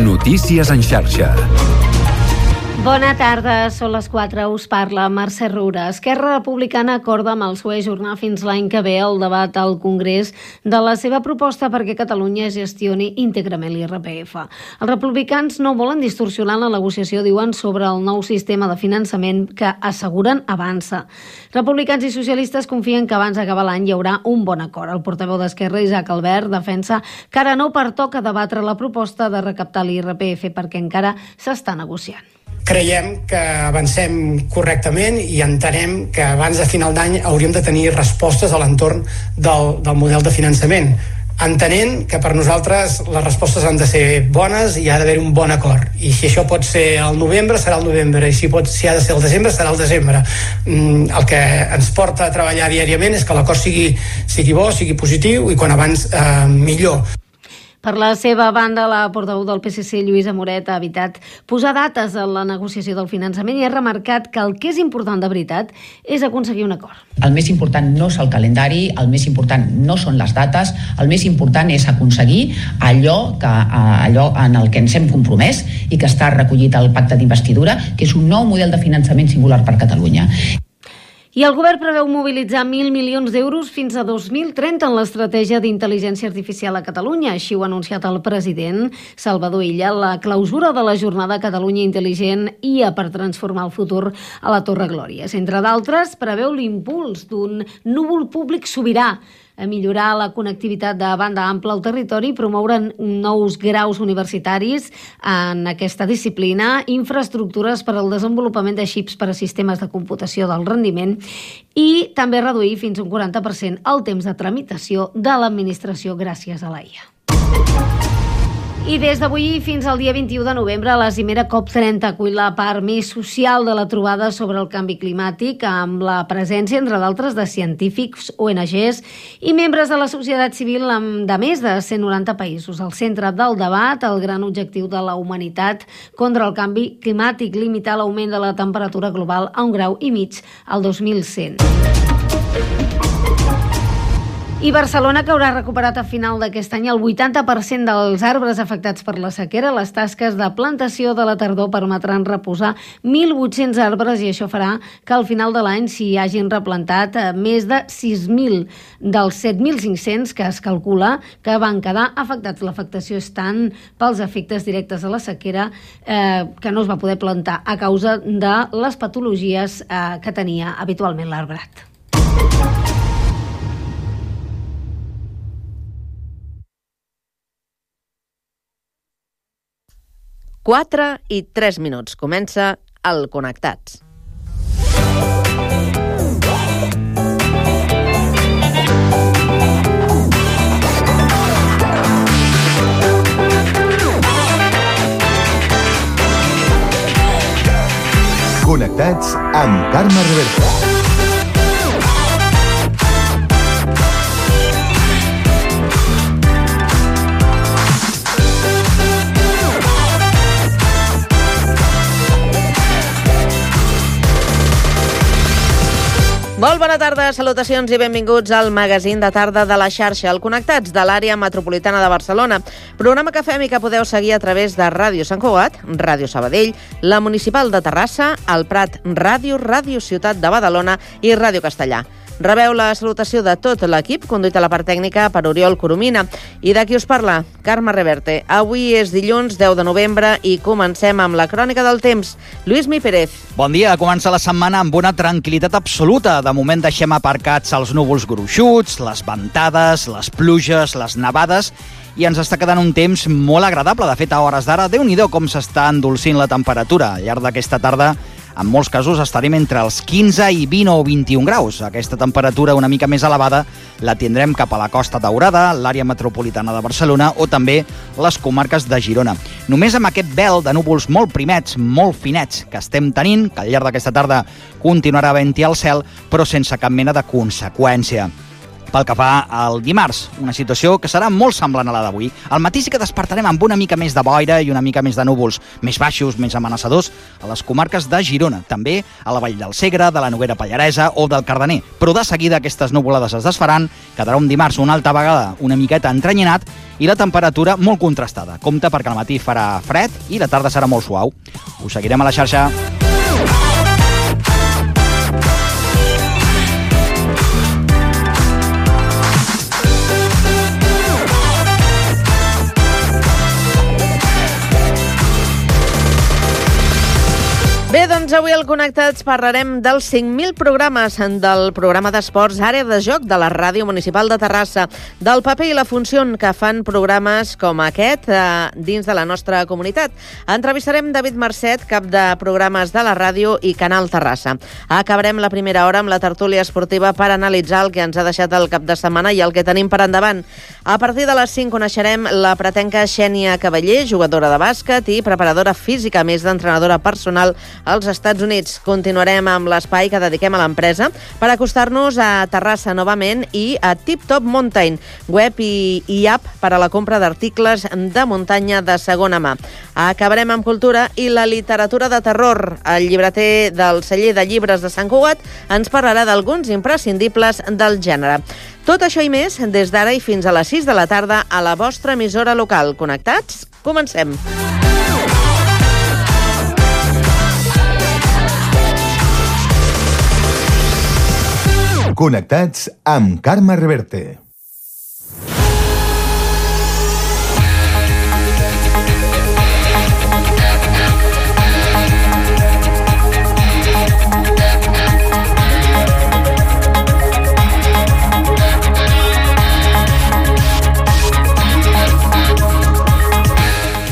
Notícies en xarxa. Bona tarda, són les 4, us parla Mercè Roura. Esquerra Republicana acorda amb el PSOE ajornar fins l'any que ve el debat al Congrés de la seva proposta perquè Catalunya gestioni íntegrament l'IRPF. Els republicans no volen distorsionar la negociació, diuen, sobre el nou sistema de finançament que asseguren avança. Republicans i socialistes confien que abans d'acabar l'any hi haurà un bon acord. El portaveu d'Esquerra, Isaac Albert, defensa que ara no pertoca debatre la proposta de recaptar l'IRPF perquè encara s'està negociant. Creiem que avancem correctament i entenem que abans de final d'any hauríem de tenir respostes a l'entorn del model de finançament, entenent que per nosaltres les respostes han de ser bones i ha d'haver un bon acord. I si això pot ser al novembre, serà al novembre, i si ha de ser al desembre, serà al desembre. El que ens porta a treballar diàriament és que l'acord sigui bo, sigui positiu, i quan abans millor. Per la seva banda, la portaveu del PSC, Lluïsa Moret, ha evitat posar dates en la negociació del finançament i ha remarcat que el que és important de veritat és aconseguir un acord. El més important no és el calendari, el més important no són les dates, el més important és aconseguir allò en el que ens hem compromès i que està recollit al pacte d'investidura, que és un nou model de finançament singular per Catalunya. I el govern preveu mobilitzar 1.000 milions d'euros fins a 2030 en l'estratègia d'intel·ligència artificial a Catalunya. Així ho ha anunciat el president Salvador Illa. La clausura de la jornada Catalunya Intel·ligent IA per transformar el futur a la Torre Glòries. Entre d'altres, preveu l'impuls d'un núvol públic sobirà, a millorar la connectivitat de banda ampla al territori, promoure nous graus universitaris en aquesta disciplina, infraestructures per al desenvolupament de xips per a sistemes de computació del rendiment i també reduir fins a un 40% el temps de tramitació de l'administració gràcies a la IA. I des d'avui fins al dia 21 de novembre, la cimera COP30 acull la part més social de la trobada sobre el canvi climàtic, amb la presència, entre d'altres, de científics, ONGs i membres de la societat civil de més de 190 països. Al centre del debat, el gran objectiu de la humanitat contra el canvi climàtic, limitar l'augment de la temperatura global a 1,5 graus al 2100. I Barcelona, que haurà recuperat a final d'aquest any el 80% dels arbres afectats per la sequera. Les tasques de plantació de la tardor permetran reposar 1.800 arbres i això farà que al final de l'any s'hi hagin replantat més de 6.000 dels 7.500 que es calcula que van quedar afectats. L'afectació és tant pels efectes directes de la sequera que no es va poder plantar a causa de les patologies que tenia habitualment l'arbrat. Quatre i 3 minuts. Comença el Connectats. Connectats amb Carme Reverte. Molt bona tarda, salutacions i benvinguts al magazín de tarda de la xarxa, el Connectats de l'àrea metropolitana de Barcelona. Programa que fem i que podeu seguir a través de Ràdio Sant Cugat, Ràdio Sabadell, la Municipal de Terrassa, el Prat Ràdio, Ràdio Ciutat de Badalona i Ràdio Castellà. Rebeu la salutació de tot l'equip, conduït a la part tècnica per Oriol Coromina. I de qui us parla? Carme Reverte. Avui és dilluns 10 de novembre i comencem amb la crònica del temps. Lluís Mi Pérez. Bon dia. Comença la setmana amb una tranquil·litat absoluta. De moment deixem aparcats els núvols gruixuts, les ventades, les pluges, les nevades i ens està quedant un temps molt agradable. De fet, a hores d'ara, Déu-n'hi-do com s'està endolcint la temperatura. Al llarg d'aquesta tarda, en molts casos estarem entre els 15 i 20 o 21 graus. Aquesta temperatura una mica més elevada la tindrem cap a la Costa Daurada, l'àrea metropolitana de Barcelona o també les comarques de Girona. Només amb aquest vel de núvols molt primets, molt finets que estem tenint, que al llarg d'aquesta tarda continuarà havent-hi al cel, però sense cap mena de conseqüència. pel que fa al dimarts, una situació que serà molt semblant a la d'avui. Al matí sí que despertarem amb una mica més de boira i una mica més de núvols més baixos, més amenaçadors, a les comarques de Girona, també a la Vall del Segre, de la Noguera Pallaresa o del Cardener. Però de seguida aquestes nuvolades es desfaran, quedarà un dimarts una altra vegada una miqueta entrenyinat i la temperatura molt contrastada. Compte perquè al matí farà fred i la tarda serà molt suau. Us seguirem a la xarxa. Bé, doncs avui al Connectats parlarem dels 5.000 programes del programa d'esports Àrea de Joc de la Ràdio Municipal de Terrassa, del paper i la funció que fan programes com aquest dins de la nostra comunitat. Entrevistarem David Marcet, cap de programes de la ràdio i Canal Terrassa. Acabarem la primera hora amb la tertúlia esportiva per analitzar el que ens ha deixat el cap de setmana i el que tenim per endavant. A partir de les 5 coneixerem la pretenca Xènia Cavaller, jugadora de bàsquet i preparadora física, més d'entrenadora personal als Estats Units. Continuarem amb l'espai que dediquem a l'empresa per acostar-nos a Terrassa novament i a Tip Top Mountain, web i app per a la compra d'articles de muntanya de segona mà. Acabarem amb cultura i la literatura de terror. El llibreter del celler de llibres de Sant Cugat ens parlarà d'alguns imprescindibles del gènere. Tot això i més des d'ara i fins a les 6 de la tarda a la vostra emissora local. Connectats? Comencem! Connectats amb Carme Reverte.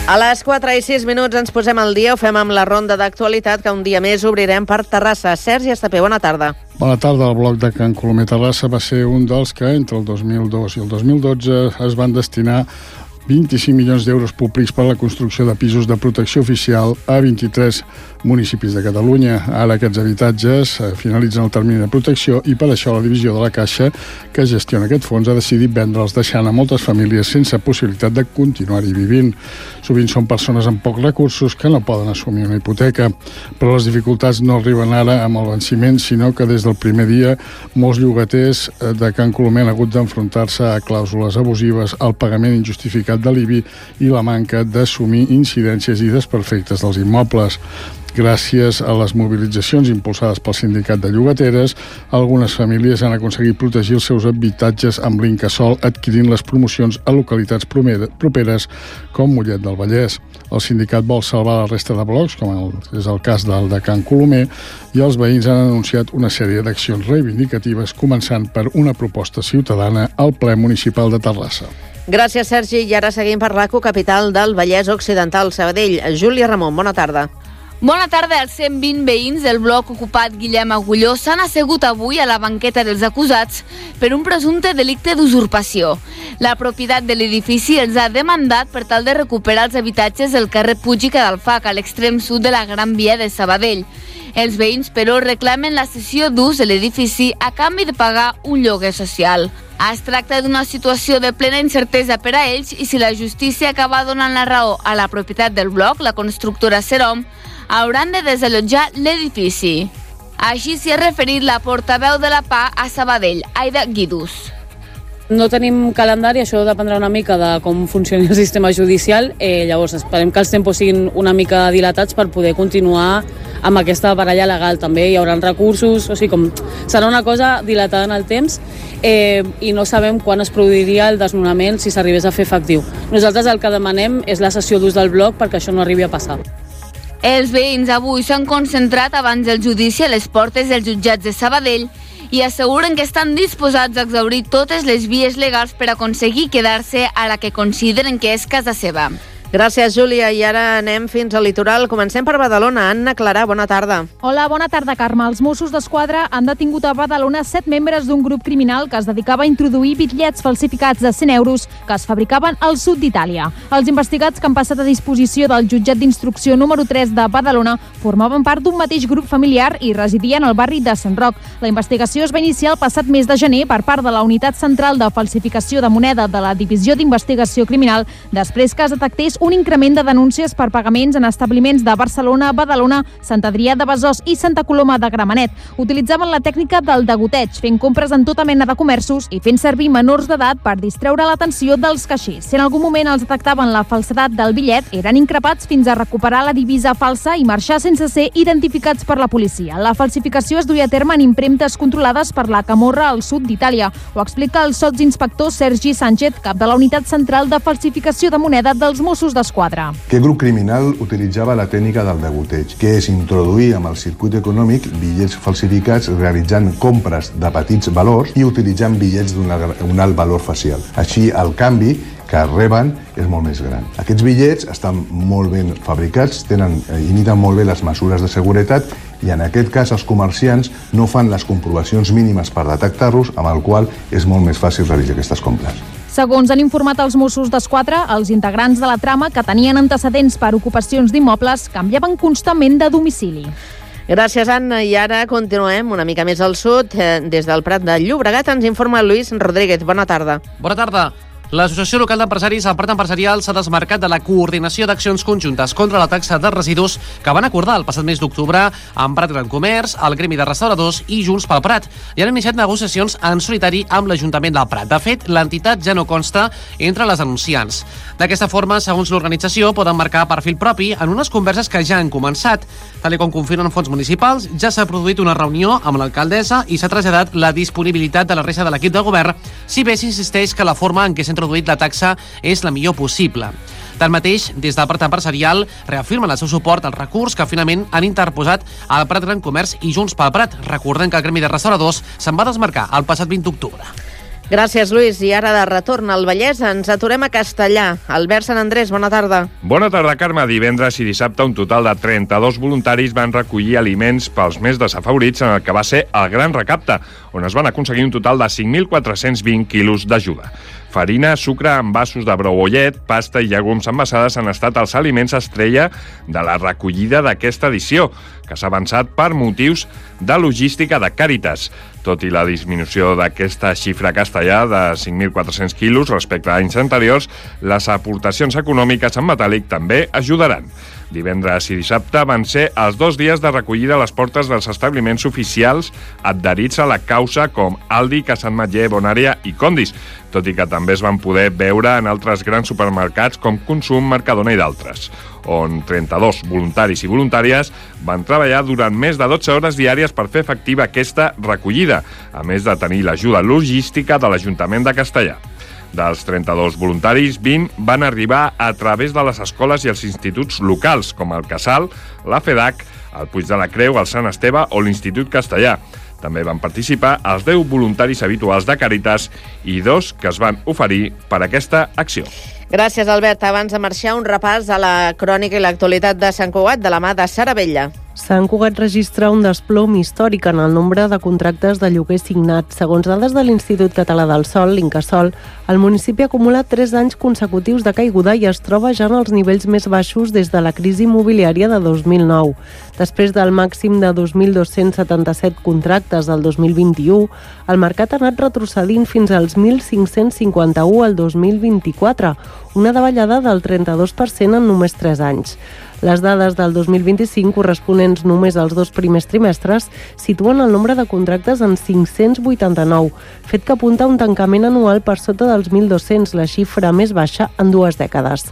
A les 4 i 6 minuts ens posem al dia, ho fem amb la ronda d'actualitat que un dia més obrirem per Terrassa. Sergi Estapé, bona tarda. Bona tarda. El bloc de Can Colomer Terrassa va ser un dels que entre el 2002 i el 2012 es van destinar 25 milions d'euros públics per a la construcció de pisos de protecció oficial a 23 municipis de Catalunya. Ara aquests habitatges finalitzen el termini de protecció i per això la divisió de la Caixa que gestiona aquest fons ha decidit vendre'ls, deixant a moltes famílies sense possibilitat de continuar-hi vivint. Sovint són persones amb pocs recursos que no poden assumir una hipoteca, però les dificultats no arriben ara amb el venciment, sinó que des del primer dia molts llogaters de Can Colomer han hagut d'enfrontar-se a clàusules abusives, al pagament injustificat de l'IBI i la manca d'assumir incidències i desperfectes dels immobles. Gràcies a les mobilitzacions impulsades pel sindicat de llogateres, algunes famílies han aconseguit protegir els seus habitatges amb l'Incasòl adquirint les promocions a localitats properes com Mollet del Vallès. El sindicat vol salvar la resta de blocs, com és el cas del de Can Colomer, i els veïns han anunciat una sèrie d'accions reivindicatives, començant per una proposta ciutadana al ple municipal de Terrassa. Gràcies, Sergi. I ara seguim per l'ACO, capital del Vallès Occidental, Sabadell. Júlia Ramon, bona tarda. Bona tarda. Els 120 veïns del bloc ocupat Guillem Agulló s'han assegut avui a la banqueta dels acusats per un presumpte delicte d'usurpació. La propietat de l'edifici els ha demandat per tal de recuperar els habitatges del carrer Puig i Cadalfac, a l'extrem sud de la Gran Via de Sabadell. Els veïns, però, reclamen la cessió d'ús de l'edifici a canvi de pagar un lloguer social. Es tracta d'una situació de plena incertesa per a ells i si la justícia acaba donant la raó a la propietat del bloc, la constructora Serom, hauran de desallotjar l'edifici. Així s'hi ha referit la portaveu de la PA a Sabadell, Aida Guidús. No tenim calendari, això dependrà una mica de com funcioni el sistema judicial, llavors esperem que els tempos siguin una mica dilatats per poder continuar amb aquesta baralla legal. També hi haurà recursos, o sigui, com serà una cosa dilatada en el temps i no sabem quan es produiria el desnonament si s'arribés a fer efectiu. Nosaltres el que demanem és la cessió d'ús del bloc perquè això no arribi a passar. Els veïns avui s'han concentrat abans del judici a les portes dels jutjats de Sabadell i asseguren que estan disposats a exhaurir totes les vies legals per aconseguir quedar-se a la que consideren que és casa seva. Gràcies, Júlia. I ara anem fins al litoral. Comencem per Badalona. Anna Clarà, bona tarda. Hola, bona tarda, Carme. Els Mossos d'Esquadra han detingut a Badalona 7 membres d'un grup criminal que es dedicava a introduir bitllets falsificats de 100 euros que es fabricaven al sud d'Itàlia. Els investigats que han passat a disposició del jutjat d'instrucció número 3 de Badalona formaven part d'un mateix grup familiar i residien al barri de Sant Roc. La investigació es va iniciar el passat mes de gener per part de la Unitat Central de Falsificació de Moneda de la Divisió d'Investigació Criminal, després que es detectés un increment de denúncies per pagaments en establiments de Barcelona, Badalona, Sant Adrià de Besòs i Santa Coloma de Gramenet. Utilitzaven la tècnica del degoteig, fent compres en tota mena de comerços i fent servir menors d'edat per distreure l'atenció dels caixers. Si en algun moment els detectaven la falsedat del bitllet, eren increpats fins a recuperar la divisa falsa i marxar sense ser identificats per la policia. La falsificació es duia a terme en impremtes controlades per la Camorra al sud d'Itàlia. Ho explica el sotsinspector Sergi Sánchez, cap de la Unitat Central de Falsificació de Moneda dels Mossos d'Esquadra. Aquest grup criminal utilitzava la tècnica del degoteig, que és introduir amb el circuit econòmic bitllets falsificats realitzant compres de petits valors i utilitzant bitllets d'un alt valor facial. Així, el canvi que reben és molt més gran. Aquests bitllets estan molt ben fabricats, imiten molt bé les mesures de seguretat i en aquest cas els comerciants no fan les comprovacions mínimes per detectar-los, amb el qual és molt més fàcil realitzar aquestes compres. Segons han informat els Mossos d'Esquadra, els integrants de la trama, que tenien antecedents per ocupacions d'immobles, canviaven constantment de domicili. Gràcies, Anna. I ara continuem una mica més al sud. Des del Prat de Llobregat ens informa Lluís Rodríguez. Bona tarda. Bona tarda. L'Associació Local d'Empresaris al Prat Empresarial s'ha desmarcat de la coordinació d'accions conjuntes contra la taxa de residus que van acordar el passat mes d'octubre amb Prat Gran Comerç, el Gremi de Restauradors i Junts pel Prat. I han iniciat negociacions en solitari amb l'Ajuntament del Prat. De fet, l'entitat ja no consta entre les denunciants. D'aquesta forma, segons l'organització, poden marcar perfil propi en unes converses que ja han començat. Tal com confirmen fons municipals, ja s'ha produït una reunió amb l'alcaldessa i s'ha traslladat la disponibilitat de la resta de l'equip de govern, si bé s'insisteix que la forma en què s'ha introduït la taxa és la millor possible. Tanmateix, des del Prat Empresarial reafirmen el seu suport al recurs que finalment han interposat al Prat Gran Comerç i Junts pel Prat. Recordem que el Gremi de Restauradors se'n va desmarcar el passat 20 d'octubre. Gràcies, Lluís. I ara de retorn al Vallès ens aturem a Castellà. Albert Sant Andrés, bona tarda. Bona tarda, Carme. Divendres i dissabte un total de 32 voluntaris van recollir aliments pels més desafavorits en el que va ser el Gran Recapte, on es van aconseguir un total de 5.420 quilos d'ajuda. Farina, sucre, envasos de brou o llet, pasta i llegums envasades han estat els aliments estrella de la recollida d'aquesta edició, que s'ha avançat per motius de logística de Càritas. Tot i la disminució d'aquesta xifra castellà de 5.400 quilos respecte a anys anteriors, les aportacions econòmiques en metàl·lic també ajudaran. Divendres i dissabte van ser els 2 dies de recollida a les portes dels establiments oficials adherits a la causa com Aldi, Casa Ametller, Bonària i Condis, tot i que també es van poder veure en altres grans supermercats com Consum, Mercadona i d'altres, on 32 voluntaris i voluntàries van treballar durant més de 12 hores diàries per fer efectiva aquesta recollida, a més de tenir l'ajuda logística de l'Ajuntament de Castellà. Dels 32 voluntaris, 20 van arribar a través de les escoles i els instituts locals, com el Casal, la FEDAC, el Puig de la Creu, el Sant Esteve o l'Institut Castellà. També van participar els 10 voluntaris habituals de Càritas i 2 que es van oferir per aquesta acció. Gràcies, Albert. Abans de marxar, un repàs a la crònica i l'actualitat de Sant Cugat de la mà de Sara Vella. Sant Cugat registra un desplom històric en el nombre de contractes de lloguer signats. Segons dades de l'Institut Català del Sòl, l'Incasòl, el municipi acumula 3 anys consecutius de caiguda i es troba ja en els nivells més baixos des de la crisi immobiliària de 2009. Després del màxim de 2.277 contractes del 2021, el mercat ha anat retrocedint fins als 1.551 al 2024, una davallada del 32% en només 3 anys. Les dades del 2025, corresponents només als 2 primers trimestres, situen el nombre de contractes en 589, fet que apunta a un tancament anual per sota dels 1.200, la xifra més baixa en 2 dècades.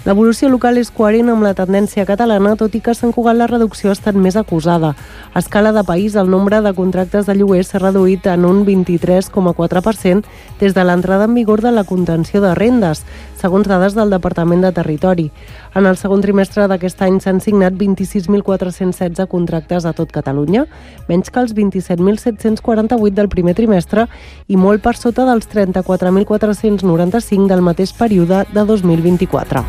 L'evolució local és coherent amb la tendència catalana, tot i que a Sant Cugat la reducció ha estat més acusada. A escala de país, el nombre de contractes de lloguer s'ha reduït en un 23,4% des de l'entrada en vigor de la contenció de rendes, segons dades del Departament de Territori. En el segon trimestre d'aquest any s'han signat 26.416 contractes a tot Catalunya, menys que els 27.748 del primer trimestre i molt per sota dels 34.495 del mateix període de 2024.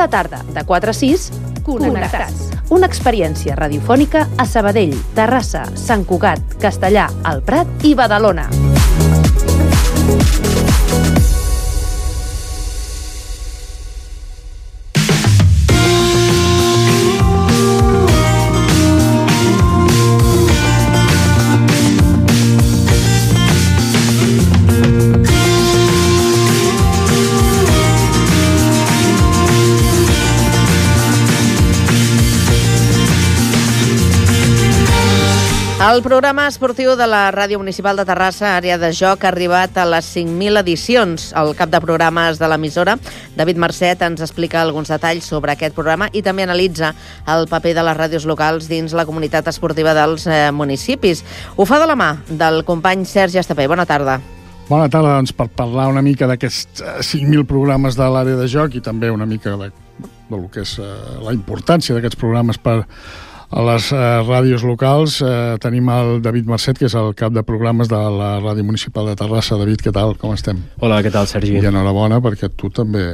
Cada tarda, de 4 a 6, Connectats. Una experiència radiofònica a Sabadell, Terrassa, Sant Cugat, Castellà, El Prat i Badalona. El programa esportiu de la Ràdio Municipal de Terrassa, Àrea de Joc, ha arribat a les 5.000 edicions. El cap de programes de l'emissora, David Marcet, ens explica alguns detalls sobre aquest programa i també analitza el paper de les ràdios locals dins la comunitat esportiva dels municipis. Ho fa de la mà del company Sergi Estapé. Bona tarda. Bona tarda, doncs, per parlar una mica d'aquests 5.000 programes de l'Àrea de Joc i també una mica del que és la importància d'aquests programes per a les ràdios locals. Tenim el David Marcet, que és el cap de programes de la Ràdio Municipal de Terrassa. David, què tal? Com estem? Hola, què tal, Sergi? I enhorabona, perquè tu també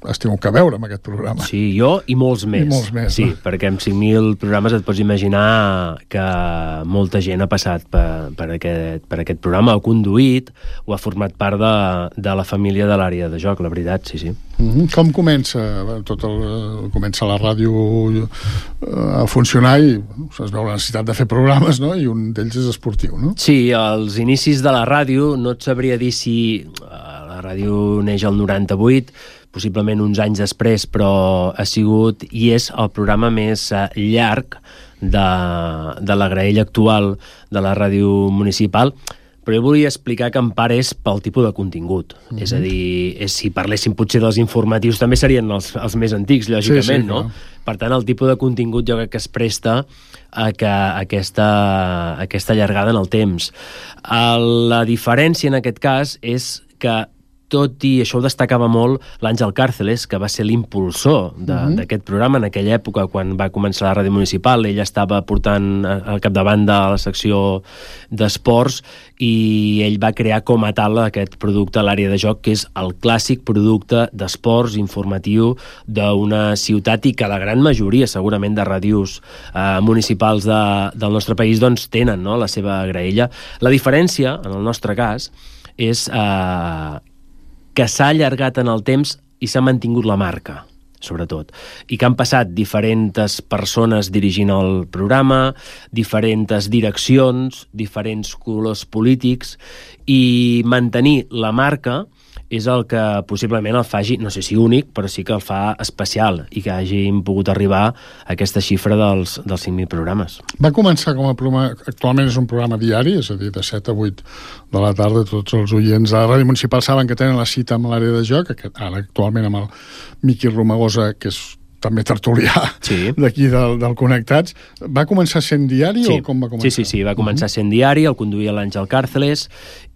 has tingut que veure amb aquest programa. Sí, jo i molts més. I molts més, sí, no? Perquè amb 5.000 programes et pots imaginar que molta gent ha passat per aquest programa, ha conduït o ha format part de la família de l'Àrea de Joc, la veritat, sí, sí. Com comença comença la ràdio a funcionar i es veu la necessitat de fer programes, no? I un d'ells és esportiu, no? Sí, als inicis de la ràdio no et sabria dir si la ràdio neix al 98, possiblement uns anys després, però ha sigut i és el programa més llarg de la graella actual de la ràdio municipal. Però jo volia explicar que en part és pel tipus de contingut. És a dir, si parléssim potser dels informatius també serien els més antics, lògicament, sí, no? Per tant, el tipus de contingut jo crec que es presta a que aquesta allargada en el temps. La diferència en aquest cas és que tot i això ho destacava molt l'Àngel Càrceles, que va ser l'impulsor d'aquest programa en aquella època quan va començar la ràdio municipal. Ell estava portant al capdavant de la secció d'esports i ell va crear com a tal aquest producte a l'Àrea de Joc, que és el clàssic producte d'esports informatiu d'una ciutat i que la gran majoria segurament de ràdios municipals del nostre país doncs tenen, no?, la seva graella. La diferència, en el nostre cas, és que s'ha allargat en el temps i s'ha mantingut la marca, sobretot. I que han passat diferents persones dirigint el programa, diferents direccions, diferents colors polítics, i mantenir la marca és el que possiblement el faci, no sé si únic, però sí que el fa especial i que hàgim pogut arribar a aquesta xifra dels 5.000 programes. Va començar com a programa, actualment és un programa diari, és a dir, de 7 a 8 de la tarda. Tots els oients de la Ràdio Municipal saben que tenen la cita amb l'Àrea de Joc, ara actualment amb el Miqui Romagosa, que és també tertulià d'aquí del Connectats. Va començar sent diari o com va començar? Sí, va començar sent diari, el conduïa l'Àngel Càrceles,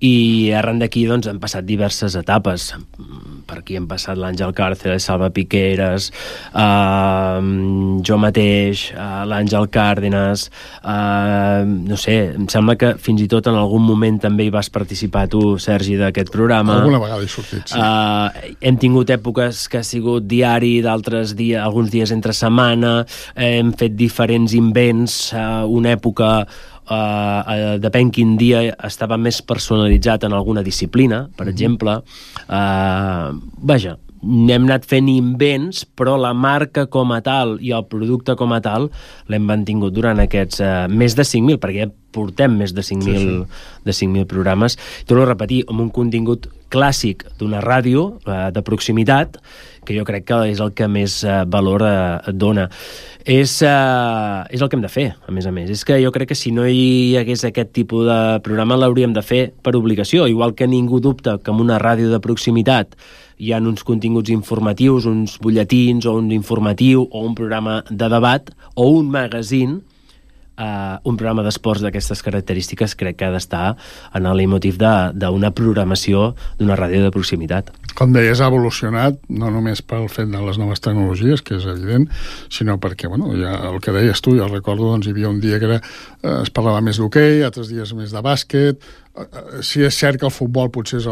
i arran d'aquí doncs, han passat diverses etapes. Per aquí han passat l'Àngel Càrceles, Salva Piqueras, jo mateix, l'Àngel Cárdenas, no sé, em sembla que fins i tot en algun moment també hi vas participar tu, Sergi, d'aquest programa. Alguna vegada he sortit, sí. Hem tingut èpoques que ha sigut diari, d'altres dies, alguns dies entre setmana, hem fet diferents invents, una època depèn quin dia estava més personalitzat en alguna disciplina, per exemple. Vaja, hem anat fent invents, però la marca com a tal i el producte com a tal l'hem mantingut durant aquests més de 5.000, perquè ja portem més de 5.000 programes. Torno a repetir, amb un contingut clàssic d'una ràdio de proximitat, que jo crec que és el que més valor et dona. És el que hem de fer, a més. És que jo crec que si no hi hagués aquest tipus de programa l'hauríem de fer per obligació, igual que ningú dubta que en una ràdio de proximitat hi ha uns continguts informatius, uns butlletins o un informatiu o un programa de debat o un magazín, un programa d'esports d'aquestes característiques crec que ha d'estar en el motiu d'una programació d'una ràdio de proximitat. Com deies, ha evolucionat, no només pel fet de les noves tecnologies, que és evident, sinó perquè, bueno, ja el que deies tu, jo recordo, doncs hi havia un dia que es parlava més d'hoquei, altres dies més de bàsquet. Sí, és cert que el futbol potser és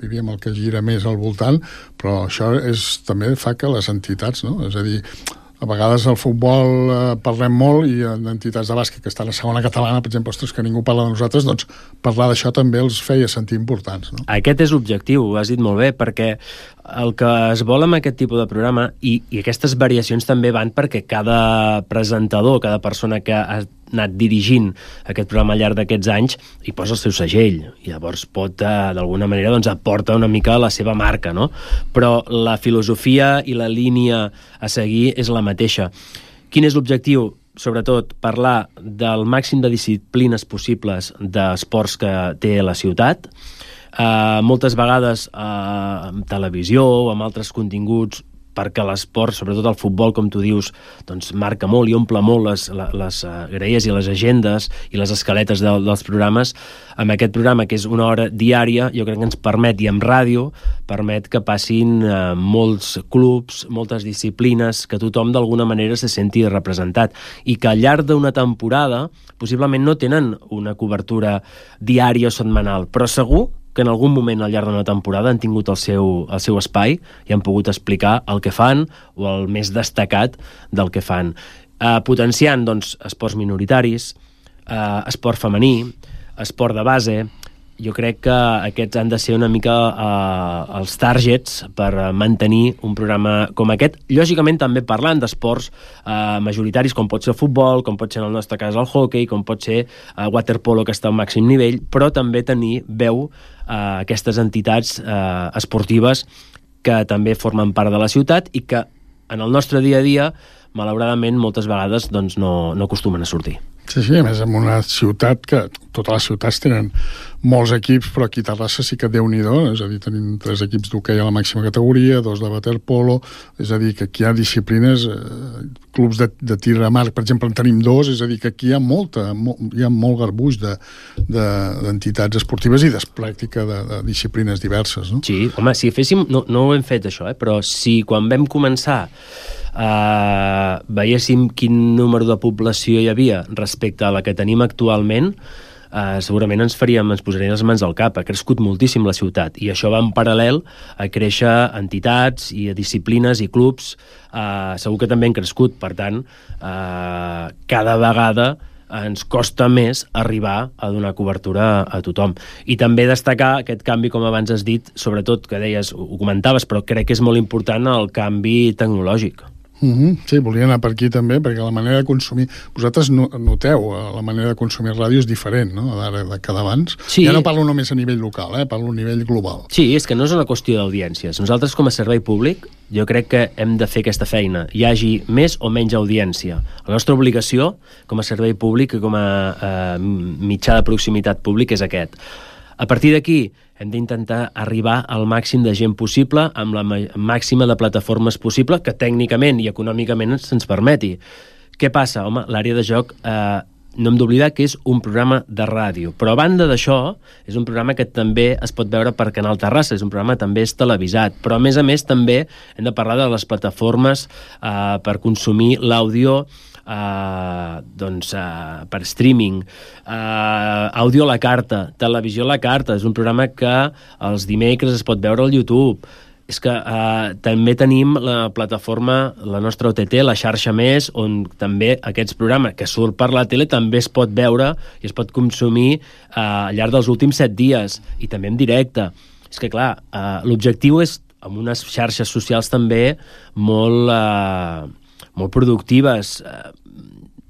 diríem, el que gira més al voltant, però això també fa que les entitats, no? És a dir, a vegades al futbol parlem molt i en entitats de bàsquet que estan a segona catalana, per exemple, ostres, que ningú parla de nosaltres, doncs parlar d'això també els feia sentir importants, no? Aquest és l'objectiu, ho has dit molt bé, perquè el que es vol amb aquest tipus de programa, i aquestes variacions també van perquè cada presentador, cada persona que ha anat dirigint aquest programa al llarg d'aquests anys hi posa el seu segell, i llavors pot d'alguna manera doncs aporta una mica la seva marca, no? Però la filosofia i la línia a seguir és la mateixa. Quin és l'objectiu? Sobretot parlar del màxim de disciplines possibles d'esports que té la ciutat, moltes vegades amb televisió o amb altres continguts, perquè l'esport, sobretot el futbol, com tu dius, doncs marca molt i omple molt les graelles i les agendes i les escaletes dels programes. Amb aquest programa, que és una hora diària, jo crec que ens permet, i amb ràdio, permet que passin molts clubs, moltes disciplines, que tothom d'alguna manera se senti representat, i que al llarg d'una temporada possiblement no tenen una cobertura diària o setmanal, però segur que en algun moment al llarg d'una temporada han tingut el seu espai i han pogut explicar el que fan o el més destacat del que fan. Potenciant, doncs, esports minoritaris, esport femení, esport de base. Jo crec que aquests han de ser una mica els targets per mantenir un programa com aquest. Lògicament també parlant d'esports majoritaris, com pot ser el futbol, com pot ser en el nostre cas el hockey, com pot ser waterpolo, que està al màxim nivell, però també tenir veu aquestes entitats esportives que també formen part de la ciutat i que en el nostre dia a dia, malauradament, moltes vegades doncs, no acostumen a sortir. Sí, a més, en una ciutat que totes les ciutats tenen molts equips, però aquí a Terrassa sí que Déu-n'hi-do, és a dir, tenim 3 equips d'hoquei a la màxima categoria, 2 de waterpolo, és a dir, que aquí hi ha disciplines, clubs de tir a mar, per exemple, en tenim 2, és a dir, que aquí hi ha molt garbuix d'entitats esportives i de pràctica de disciplines diverses, no? Sí, home, si féssim, no ho hem fet això, però si quan vam començar veiéssim quin número de població hi havia respecte a la que tenim actualment, segurament ens posaríem les mans al cap. Ha crescut moltíssim la ciutat i això va en paral·lel a créixer entitats i disciplines i clubs. Segur que també han crescut, per tant, cada vegada ens costa més arribar a donar cobertura a tothom. I també destacar aquest canvi, com abans has dit, sobretot, que deies, ho comentaves, però crec que és molt important el canvi tecnològic. Sí, volia anar per aquí també, perquè la manera de consumir... Vosaltres noteu, la manera de consumir ràdio és diferent, no?, d'ara que d'abans. Sí. Ja no parlo només a nivell local, parlo a nivell global. Sí, és que no és una qüestió d'audiències. Nosaltres, com a servei públic, jo crec que hem de fer aquesta feina. Hi hagi més o menys audiència. La nostra obligació, com a servei públic i com a mitjà de proximitat públic, és aquest. A partir d'aquí, hem d'intentar arribar al màxim de gent possible amb la màxima de plataformes possible que tècnicament i econòmicament ens permeti. Què passa? Home, l'àrea de joc no hem d'oblidar que és un programa de ràdio, però a banda d'això és un programa que també es pot veure per Canal Terrassa, és un programa també és televisat, però a més també hem de parlar de les plataformes per consumir l'àudio per streaming, àudio a la carta, televisió a la carta, és un programa que els dimecres es pot veure al YouTube. És que també tenim la plataforma, la nostra OTT, la xarxa Més, on també aquests programes que surt per la tele també es pot veure i es pot consumir al llarg dels últims 7 dies i també en directe. És que clar, l'objectiu és amb unes xarxes socials també molt productives.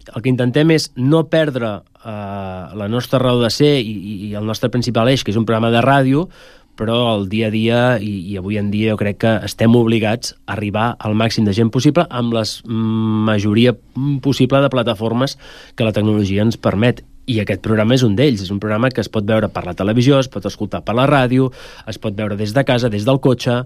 El que intentem és no perdre la nostra raó de ser i el nostre principal eix, que és un programa de ràdio, però el dia a dia i avui en dia jo crec que estem obligats a arribar al màxim de gent possible amb la majoria possible de plataformes que la tecnologia ens permet. I aquest programa és un d'ells, és un programa que es pot veure per la televisió, es pot escoltar per la ràdio, es pot veure des de casa, des del cotxe.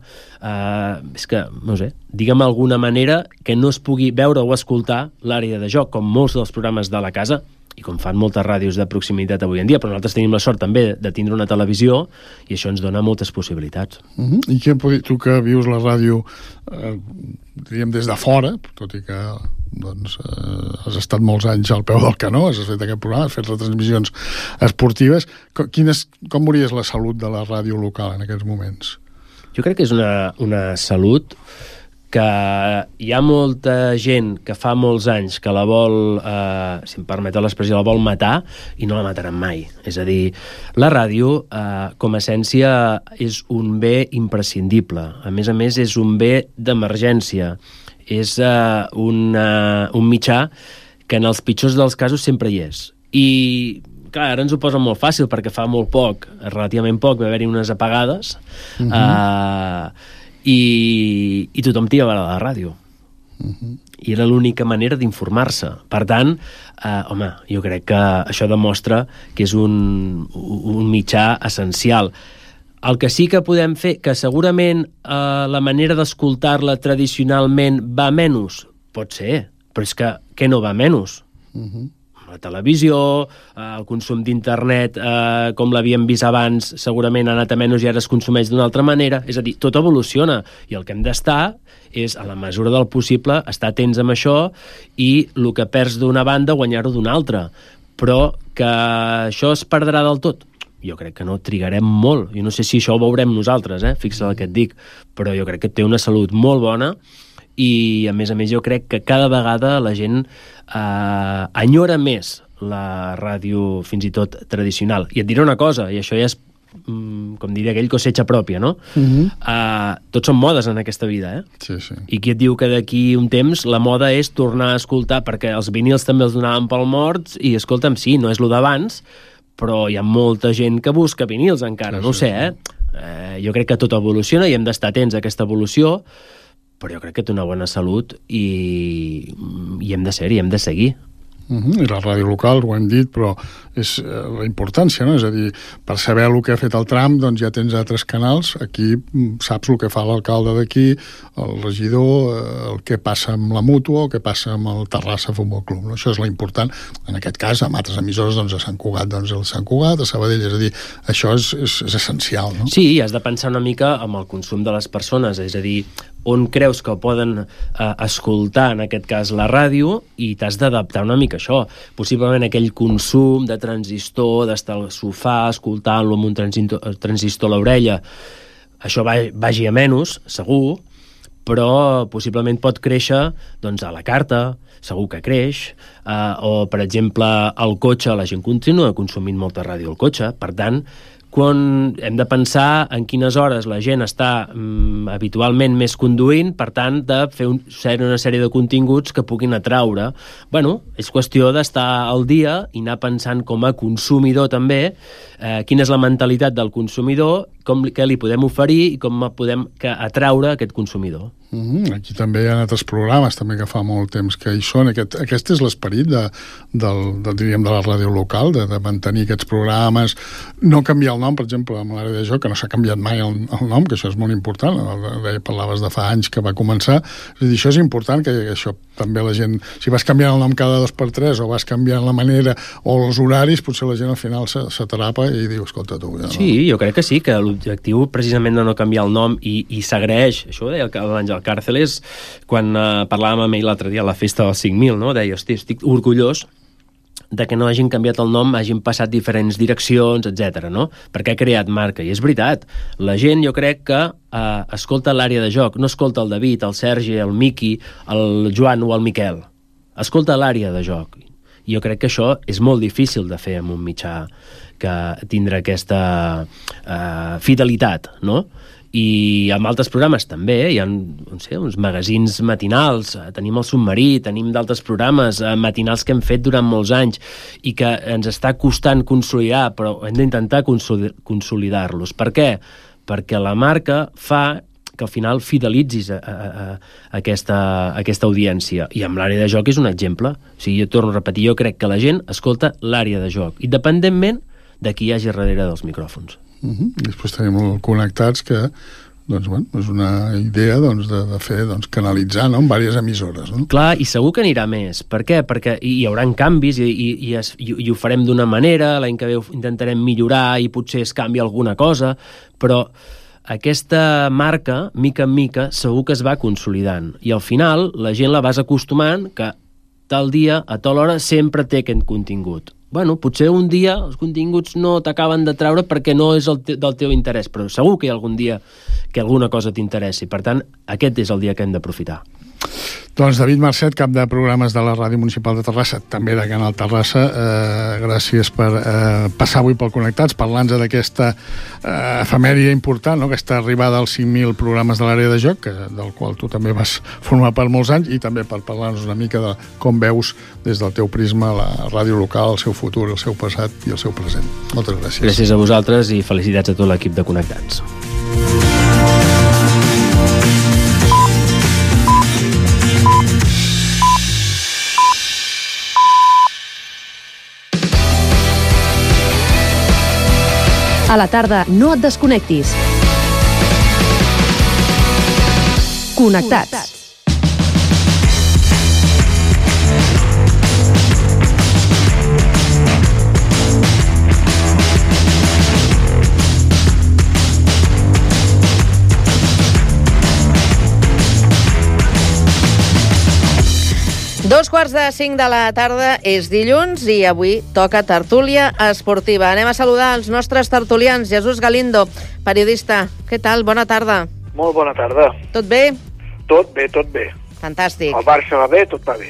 És que, no sé, digue'm alguna manera que no es pugui veure o escoltar l'àrea de joc, com molts dels programes de la casa, i com fan moltes ràdios de proximitat avui en dia, però nosaltres tenim la sort també de tindre una televisió i això ens dona moltes possibilitats. I què tu que vius la ràdio diríem des de fora, tot i que has estat molts anys al peu del canó, has fet aquest programa, has fet retransmissions esportives, com veuries la salut de la ràdio local en aquests moments? Jo crec que és una salut que hi ha molta gent que fa molts anys que la vol, si em permeteu l'expressió, la vol matar i no la mataran mai. És a dir, la ràdio, com a essència, és un bé imprescindible. A més, és un bé d'emergència. És un mitjà que en els pitjors dels casos sempre hi és. I clar, ara ens ho posa molt fàcil perquè fa molt poc, relativament poc, va haver-hi unes apagades, i tothom tira a la ràdio. I era l'única manera d'informar-se. Per tant, jo crec que això demostra que és un mitjà essencial. El que sí que podem fer, que segurament la manera d'escoltar-la tradicionalment va menys, pot ser, però és que què no va menys? La televisió, el consum d'internet, com l'havíem vist abans, segurament ha anat a menys i ara es consumeix d'una altra manera. És a dir, tot evoluciona i el que hem d'estar és, a la mesura del possible, estar atents amb això i el que perds d'una banda guanyar-ho d'una altra. Però que això es perdrà del tot? Jo crec que no, trigarem molt. Jo no sé si això ho veurem nosaltres, fixa't el que et dic, però jo crec que té una salut molt bona i, a més, jo crec que cada vegada la gent enyora més la ràdio, fins i tot tradicional. I et diré una cosa, i això ja és, com diria aquell, cosecha pròpia, no? Tots són modes en aquesta vida, Sí. I qui et diu que d'aquí un temps la moda és tornar a escoltar, perquè els vinils també els donaven pel morts, i escolta'm, sí, no és lo d'abans, però hi ha molta gent que busca vinils encara, no ho sé, jo crec que tot evoluciona i hem d'estar atents a aquesta evolució, però jo crec que té una bona salut i hem de ser-hi, hem de seguir. I la ràdio local, ho hem dit, però és la importància, no? És a dir, per saber el que ha fet el Trump, doncs ja tens altres canals, aquí saps el que fa l'alcalde d'aquí, el regidor, el que passa amb la Mútua, el que passa amb el Terrassa Futbol Club, no? Això és l'important. En aquest cas, amb altres emissores, doncs a Sant Cugat, doncs el Sant Cugat, a Sabadell, és a dir, això és essencial, no? Sí, has de pensar una mica amb el consum de les persones, és a dir, on creus que poden escoltar, en aquest cas, la ràdio, i t'has d'adaptar una mica a això. Possiblement aquell consum de transistor, d'estar al sofà, escoltant-lo amb un transistor a l'orella, això vagi a menys, segur, però possiblement pot créixer doncs, a la carta, segur que creix, o, per exemple, al cotxe, la gent continua consumint molta ràdio al cotxe, per tant, quan hem de pensar en quines hores la gent està habitualment més conduint, per tant, de fer una sèrie de continguts que puguin atraure. Bueno, és qüestió d'estar al dia i anar pensant com a consumidor també, quina és la mentalitat del consumidor, què li podem oferir i com podem atraure aquest consumidor. Aquí també hi ha altres programes també que fa molt temps que hi són. Aquest és l'esperit diríem, de la ràdio local, de mantenir aquests programes, no canviar el nom, per exemple, amb l'àrea de joc, que no s'ha canviat mai el nom, que això és molt important, parlaves de fa anys que va començar, és a dir, això és important, que això també la gent, si vas canviant el nom cada 2x3 o vas canviant la manera o els horaris, potser la gent al final s'atrapa i diu, escolta tu... Sí, jo crec que sí, que l'objectiu precisament de no canviar el nom i s'agraeix, això ho deia l'Àngel Càrceles quan parlàvem amb ell l'altre dia a la festa dels 5.000, no? Deia, hosti, estic orgullós de que no hagin canviat el nom, hagin passat diferents direccions, etc. no? Perquè ha creat marca, i és veritat. La gent, jo crec que escolta l'àrea de joc, no escolta el David, el Sergi, el Miqui, el Joan o el Miquel. Escolta l'àrea de joc. I jo crec que això és molt difícil de fer amb un mitjà que tindrà aquesta fidelitat, no? I amb altres programes també, hi ha uns magazins matinals, tenim el Submarí, tenim d'altres programes matinals que hem fet durant molts anys i que ens està costant consolidar, però hem d'intentar consolidar-los. Per què? Perquè la marca fa que al final fidelitzis aquesta audiència. I amb l'àrea de joc és un exemple. O sigui, jo torno a repetir, jo crec que la gent escolta l'àrea de joc, independentment de qui hi hagi darrere dels micròfons. Després tenim el Connectats, que doncs, bueno, és una idea doncs, de fer, doncs, canalitzar, no?, en diverses emissores, no? Clar, i segur que anirà més. Per què? Perquè hi haurà canvis i ho farem d'una manera, l'any que ve intentarem millorar i potser es canvia alguna cosa, però aquesta marca, mica en mica, segur que es va consolidant. I al final la gent la vas acostumant que tal dia, a tal hora, sempre té aquest contingut. Bueno, potser un dia els continguts no t'acaben de treure perquè no és del teu interès, però segur que hi ha algun dia que alguna cosa t'interessi. Per tant, aquest és el dia que hem d'aprofitar. Doncs David Marcet, cap de programes de la Ràdio Municipal de Terrassa, també de Canal Terrassa, gràcies per passar avui pel Connectats, parlant-nos d'aquesta efemèria important, no?, aquesta arribada als 5.000 programes de l'àrea de joc, del qual tu també vas formar per molts anys, i també per parlar-nos una mica de com veus des del teu prisma la ràdio local, el seu futur, el seu passat i el seu present. Moltes gràcies. Gràcies a vosaltres i felicitats a tot l'equip de Connectats. A la tarda, no et desconnectis. Connectats. Dos quarts de 5 de la tarda, és dilluns i avui toca tertúlia esportiva. Anem a saludar els nostres tertulians. Jesús Galindo, periodista. Què tal? Bona tarda. Molt bona tarda. Tot bé? Tot bé, tot bé. Fantàstic. El Barça va bé, tot va bé.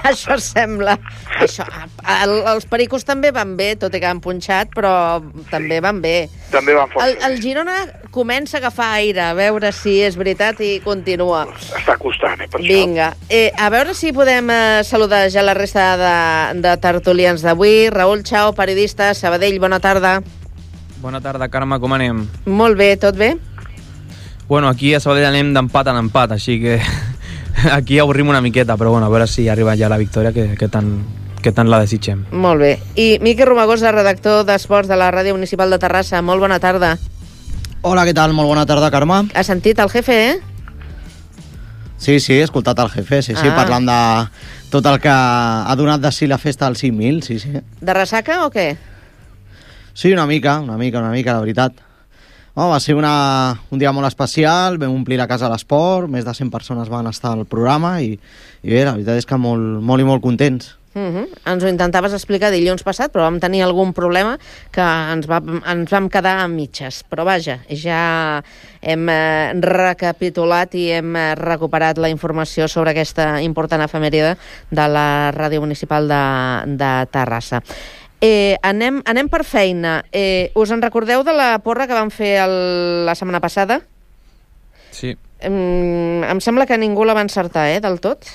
Això sembla. Els pericos també van bé, tot i que han punxat, però també van bé. També van força. El Girona comença a agafar aire, a veure si és veritat i continua. Està costant, per això. Vinga. A veure si podem saludar ja la resta de tertulians d'avui. Raül Chao, periodista, Sabadell, bona tarda. Bona tarda, Carme, com anem? Molt bé, tot bé? Bueno, aquí a Sabadell anem d'empat en empat, així que aquí avorrim una miqueta, però bueno, a veure si arriba ja la victòria que tant la desitgem. Molt bé. I Miqui Romagosa, redactor d'Esports de la Ràdio Municipal de Terrassa. Molt bona tarda. Hola, què tal? Molt bona tarda, Carme. Has sentit el jefe, Sí, he escoltat el jefe, sí, parlant de tot el que ha donat de si la festa del 5.000, sí. De ressaca o què? Sí, una mica, la veritat. Va ser un dia molt especial, vam omplir la casa de l'esport, més de 100 persones van estar al programa i bé, la veritat és que molt i molt contents. Ens ho intentaves explicar dilluns passat, però vam tenir algun problema que ens vam quedar a mitges. Però vaja, ja hem recapitulat i hem recuperat la informació sobre aquesta important efemèride de la Ràdio Municipal de Terrassa. Anem per feina. Us en recordeu de la porra que vam fer la setmana passada? Sí. Em sembla que ningú la va encertar, del tot.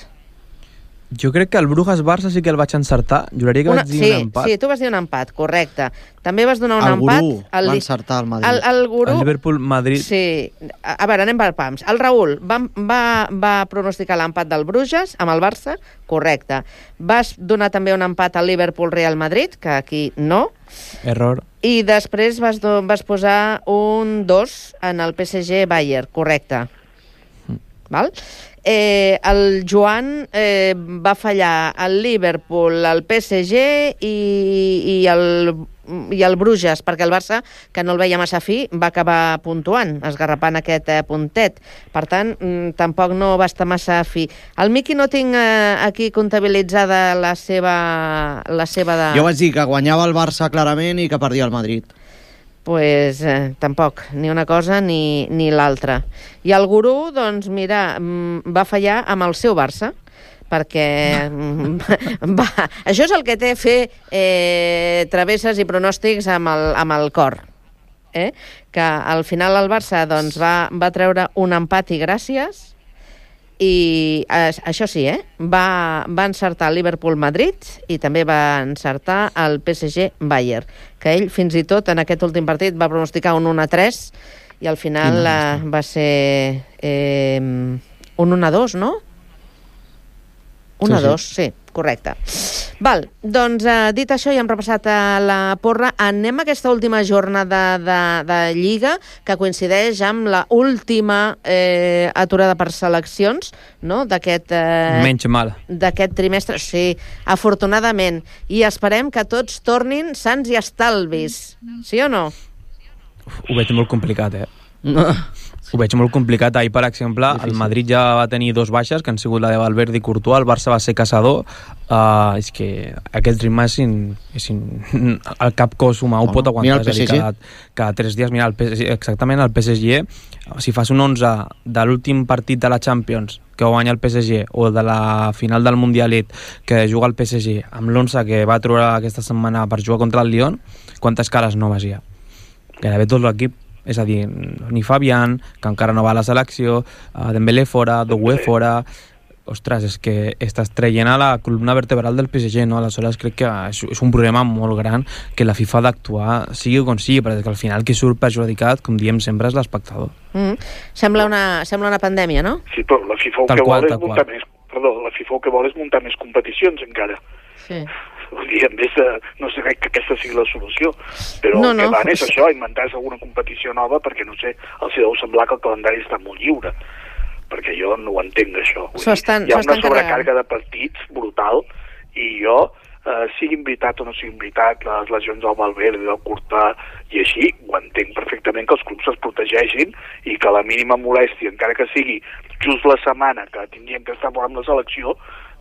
Jo crec que el Brujas-Barça sí que el vaig encertar. Juraria que vaig dir un empat. Sí, tu vas dir un empat, correcte. També vas donar un empat. El Gurú va encertar el Madrid. El Gurú... El Liverpool-Madrid. Sí. A veure, anem per pams. El Raül va pronosticar l'empat del Bruges amb el Barça, correcte. Vas donar també un empat al Liverpool-Real Madrid, que aquí no. Error. I després vas posar un 2 en el PSG-Bayern, correcte. Val? El Joan va fallar el Liverpool, el PSG i el Bruges, perquè el Barça, que no el veia massa fi, va acabar puntuant, esgarrapant aquest puntet. Per tant, tampoc no va estar massa fi. El Miqui no tinc aquí comptabilitzada la seva de... Jo vaig dir que guanyava el Barça clarament i que perdia el Madrid. Pues tampoc, ni una cosa ni l'altra. I el Gurú, doncs mira, va fallar amb el seu Barça, perquè això és el que té fer travesses i pronòstics amb el cor. Que al final el Barça doncs, va treure un empat i gràcies, i això sí, va encertar el Liverpool-Madrid i també va encertar el PSG-Bayern, que ell fins i tot en aquest últim partit va pronosticar un 1-3 i al final va ser un 1-2, no? 1-2, sí, correcte. Val, doncs dit això, ja hem repassat la porra. Anem a aquesta última jornada de Lliga, que coincideix amb la última aturada per seleccions, no?, d'aquest Menys mal. d'aquest trimestre. Sí, afortunadament. I esperem que tots tornin sants i estalvis. Sí o no? Ho veig molt complicat, Ho veig molt complicat. Ahir, per exemple, el Madrid ja va tenir 2 baixes, que han sigut la de Valverde i Courtois, el Barça va ser caçador. És que aquest ritme el cap cos humà ho pot aguantar. Mira el PSG. Cada 3 dies, mira, exactament el PSG, si fas un 11 de l'últim partit de la Champions que guanya el PSG, o de la final del Mundialet que juga el PSG, amb l'11 que va trobar aquesta setmana per jugar contra el Lyon, quantes cares noves hi ha? Gairebé tot l'equip. És a dir, ni Fabián, que encara no va a la selecció, Dembélé fora, Doué fora... Ostres, és que estàs traient a la columna vertebral del PSG, no? Aleshores crec que és un problema molt gran que la FIFA ha d'actuar, sigui com sigui, perquè al final qui surt perjudicat, com diem sempre, és l'espectador. Sembla una pandèmia, no? Sí, però la FIFA la FIFA el que vol és muntar més competicions encara. Sí. Vull dir, en vez de... No sé que aquesta sigui la solució, però el que van és això, inventar-se alguna competició nova, perquè, no sé, els deu semblar que el calendari està molt lliure, perquè jo no ho entenc, això. Hi ha una sobrecàrrega de partits brutal, i jo, sigui invitat o no sigui invitat, les lesions del Valverde, del Courtois, i així, ho entenc perfectament que els clubs es protegeixin i que la mínima molèstia, encara que sigui just la setmana que tindrien que estar amb la selecció,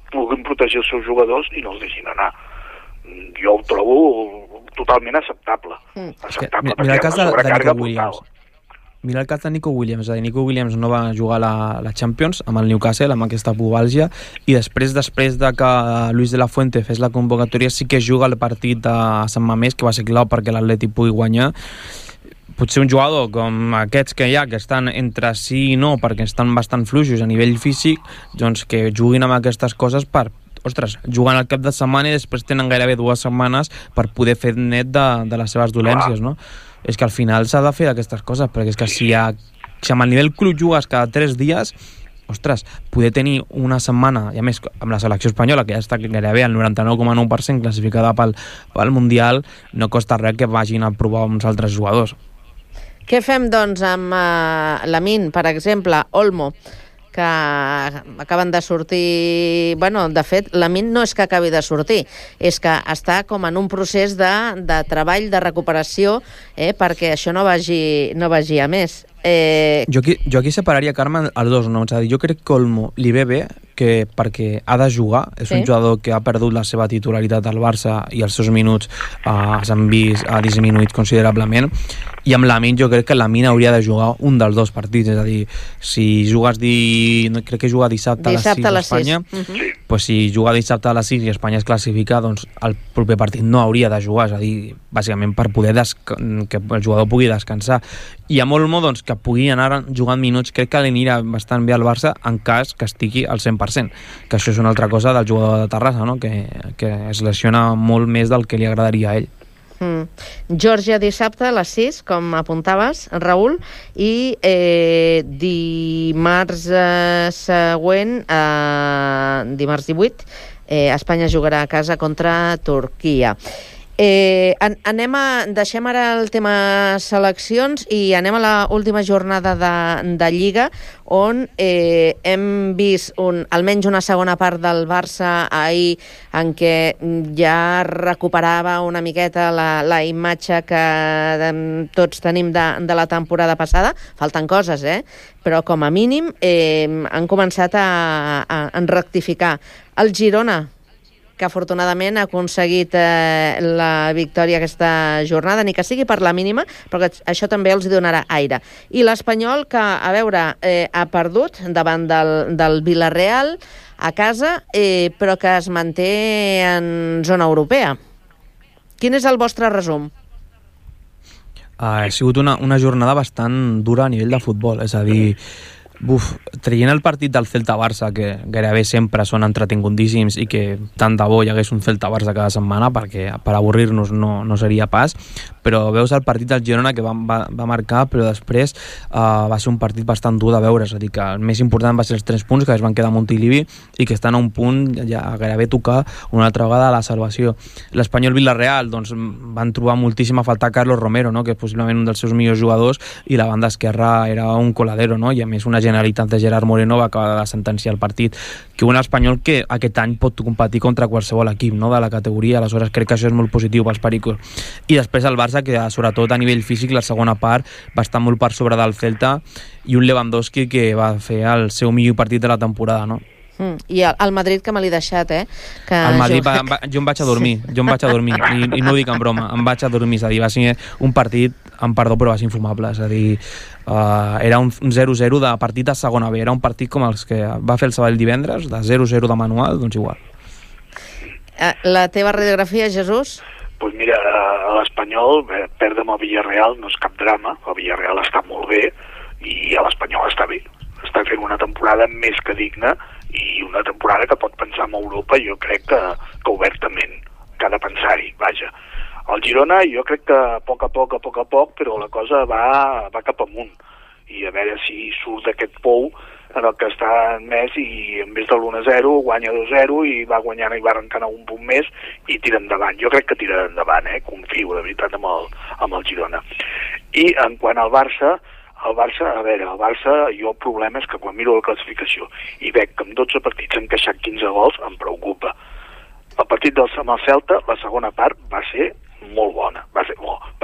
puguin protegir els seus jugadors i no els deixin anar. Jo ho trobo totalment acceptable. Acceptable, mira el cas de sobrecàrega Nico Williams. Mira el cas de Nico Williams. Nico Williams no va jugar la Champions amb el Newcastle, amb aquesta pubàlgia, i després de que Luis de la Fuente fes la convocatòria, sí que juga el partit de Sant Mamés, que va ser clau perquè l'Atleti pugui guanyar. Potser un jugador com aquests que hi ha, que estan entre sí i no, perquè estan bastant fluixos a nivell físic, doncs que juguin amb aquestes coses per... Ostres, juguen al cap de setmana i després tenen gairebé 2 setmanes per poder fer net de les seves dolències, no? És que al final s'ha de fer aquestes coses, perquè és que si amb el nivell club jugues cada 3 dies, ostres, poder tenir una setmana, i a més amb la selecció espanyola, que ja està gairebé al 99,9% classificada pel Mundial, no costa res que vagin a provar uns altres jugadors. Què fem, doncs, amb Lamine, per exemple, Olmo, que acaben de sortir... Bueno, de fet, Lamine no és que acabi de sortir, és que està com en un procés de treball, de recuperació, perquè això no vagi a més. Jo aquí separaria, Carme, els dos noms. És a dir, jo crec que Olmo li ve bé perquè ha de jugar. És un jugador que ha perdut la seva titularitat al Barça i els seus minuts s'han vist disminuïts considerablement. I amb Lamine jo crec que Lamine hauria de jugar un dels 2 partits. És a dir, si jugues crec que juga dissabte a les 6 a Espanya, pues si juga dissabte a les 6 i Espanya es classifica, doncs el proper partit no hauria de jugar. És a dir, bàsicament per poder que el jugador pugui descansar. I amb Olmo, doncs, que pugui anar jugant minuts, crec que li anirà bastant bé al Barça en cas que estigui al 100%, que això és una altra cosa del jugador de Terrassa, no? que es lesiona molt més del que li agradaria a ell. Geòrgia dissabte a les 6, com apuntaves, Raül, i dimarts següent, dimarts 18, Espanya jugarà a casa contra Turquia. Deixem ara el tema seleccions i anem a l'última jornada de Lliga, on hem vist almenys una segona part del Barça ahir en què ja recuperava una miqueta la imatge que tots tenim de la temporada passada. Falten coses, però com a mínim han començat a rectificar. El Girona, que afortunadament ha aconseguit la victòria aquesta jornada, ni que sigui per la mínima, però que això també els donarà aire. I l'Espanyol, que, a veure, ha perdut davant del Villarreal a casa, però que es manté en zona europea. Quin és el vostre resum? Ha sigut una jornada bastant dura a nivell de futbol, és a dir, Traient el partit del Celta-Barça, que gairebé sempre són entretingudíssims i que tant de bo hi hagués un Celta-Barça cada setmana, perquè per avorrir-nos no seria pas, però veus el partit del Girona que va marcar, però després va ser un partit bastant dur de veure, és a dir, que el més important va ser els 3 punts que es van quedar a Montilivi i que estan a un punt ja gairebé tocar una altra vegada la salvació. L'Espanyol Villarreal, doncs, van trobar moltíssim a faltar Carlos Romero, no?, que és possiblement un dels seus millors jugadors, i la banda esquerra era un coladero, no?, i a més una generalitat de Gerard Moreno va acabar de sentenciar el partit, que un Espanyol que aquest any pot competir contra qualsevol equip, no?, de la categoria, aleshores crec que això és molt positiu pels pericos. I després el Barça, que sobretot a nivell físic la segona part va estar molt per sobre del Celta, i un Lewandowski que va fer el seu millor partit de la temporada, no? I el Madrid, que me l'he deixat, que el Madrid, jo em vaig a dormir i no ho dic en broma, em vaig a dormir, és a dir, va ser un partit, amb perdó, però va ser infumable, és a dir, era un 0-0 de partit a segona B, era un partit com els que va fer el Sabadell divendres, de 0-0 de manual, doncs igual. La teva radiografia, Jesús? Doncs mira, a l'Espanyol perdre amb el Villarreal no és cap drama, el Villarreal està molt bé i l'Espanyol està bé, està fent una temporada més que digna i una temporada que pot pensar en Europa, jo crec que obertament, que ha de pensar-hi, vaja. El Girona jo crec que a poc a poc, però la cosa va cap amunt, i a veure si surt d'aquest pou en el que està més i en vez de l'1-0 guanya 2-0 i va guanyant i va arrencant un punt més i tira endavant. Jo crec que tira endavant, confio de veritat amb el Girona. I en quant al Barça, el Barça, jo el problema és que quan miro la classificació i veig que en 12 partits han encaixat 15 gols, em preocupa. El partit amb el Celta, la segona part, va ser molt bona. Va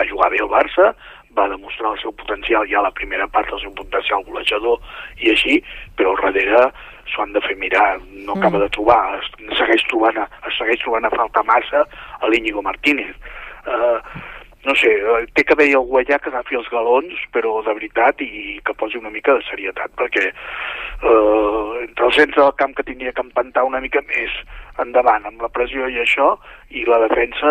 jugar bé el Barça, va demostrar el seu potencial ja a la primera part, el seu potencial golejador i així, però al darrere s'ho han de fer mirar, no acaba de trobar, segueix trobant a faltar massa a l'Íñigo Martínez. No sé, té que haver-hi algú allà que agafi els galons, però de veritat, i que posi una mica de serietat, perquè entre el centre del camp que tindria que empantar una mica més endavant amb la pressió i això, i la defensa